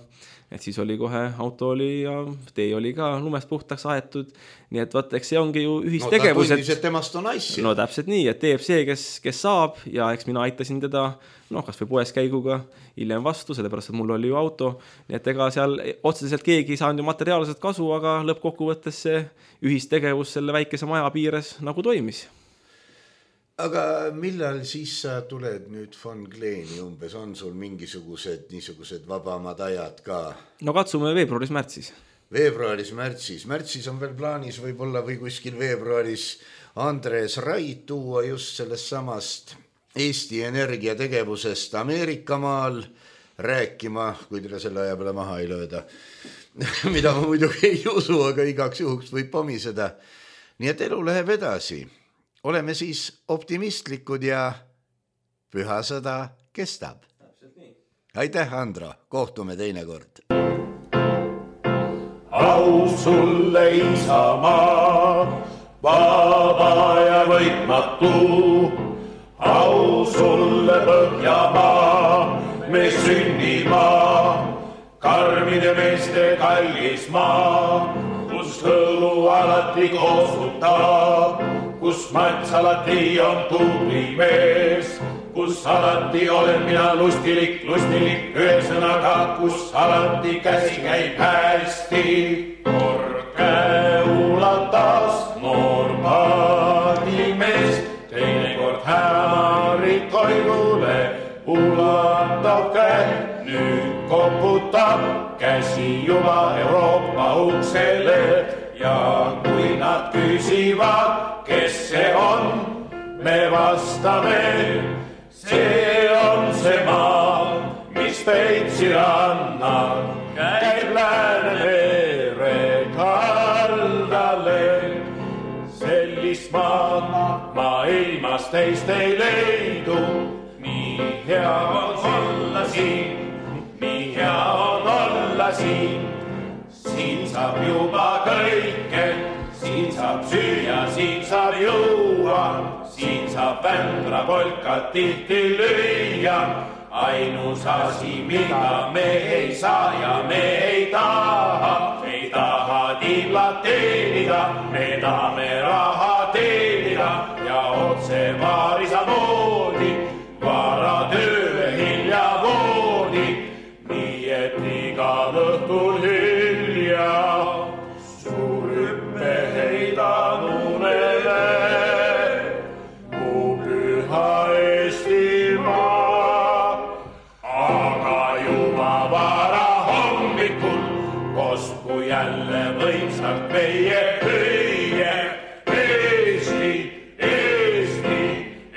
et siis oli kohe auto oli ja tee oli ka lumest puhtaks aetud, nii et vaat, eks see ongi ju ühistegevus. No ta tundis, et temast on asja. No täpselt nii, et teeb see, kes saab ja eks mina aitasin teda, noh, kas või poes käiguga hiljem vastu, sellepärast, et mul oli ju auto, nii et ega seal otseselt keegi ei saanud ju materiaalselt kasu, aga lõppkokkuvõttes see ühistegevus selle väikese maja piires nagu toimis. Aga millal siis sa tuled nüüd von Kleeni umbes? On sul mingisugused niisugused vabamad ajad ka? No katsume veebruaris-märtsis. Veebruaris-märtsis. Märtsis on veel plaanis võib-olla või kuskil veebruaris Andres Rait tuua just sellest samast Eesti Energia tegevusest Ameerikamaal rääkima, kui teile selle aja peale maha ei lööda. Mida ma muidugi ei usu, aga igaks juhuks võib pomiseda. Nii et elu läheb edasi. Oleme siis optimistlikud ja püha sõda kestab. Aitäh, Andro. Kohtume teinekord. Au sulle Isamaa, vaba ja võitmatu. Au sulle Põhjamaa, me sünnimaa, karmide meeste kallis maa, kus hõlu alati koosutab, kus mats alati on tubli mees, kus alati olen mina lustilik, ühesõnaga, kus alati käsi käib hästi. Kord käe ulatas noor paadimees, teinekord hämarit koidule ulatab käe, nüüd koputab käsi juba Euroopa uksele ja kui nad küsivad, kes see on, me vastame, see on see maa, mis Peipsi rannal käib Läänemere kaldale. Sellist maad maailmas teist ei leidu, nii hea on olla siin, nii hea on olla siin. Siin saab juba kõike, siin saab süüa, siin saab juua, siin saab vändra polkat tihti lüüa. Ainus asi, mida me ei saa ja me ei taha tiiblat teenida, me tahame raha teenida ja otse vaarisa moodi, vara tööle hilja voodi, nii et igal õhtul hilja suur hüppe heidan unele, mu püha Eestimaa, aga juba jälle võimsalt meie hüüe. Eesti, Eesti,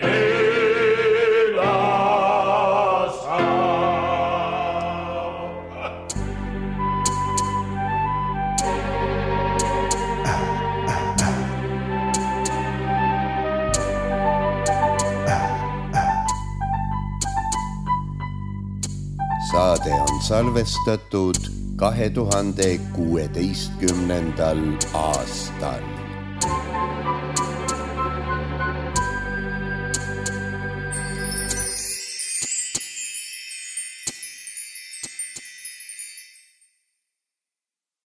ela sa. Saade on salvestatud 2016. aastal.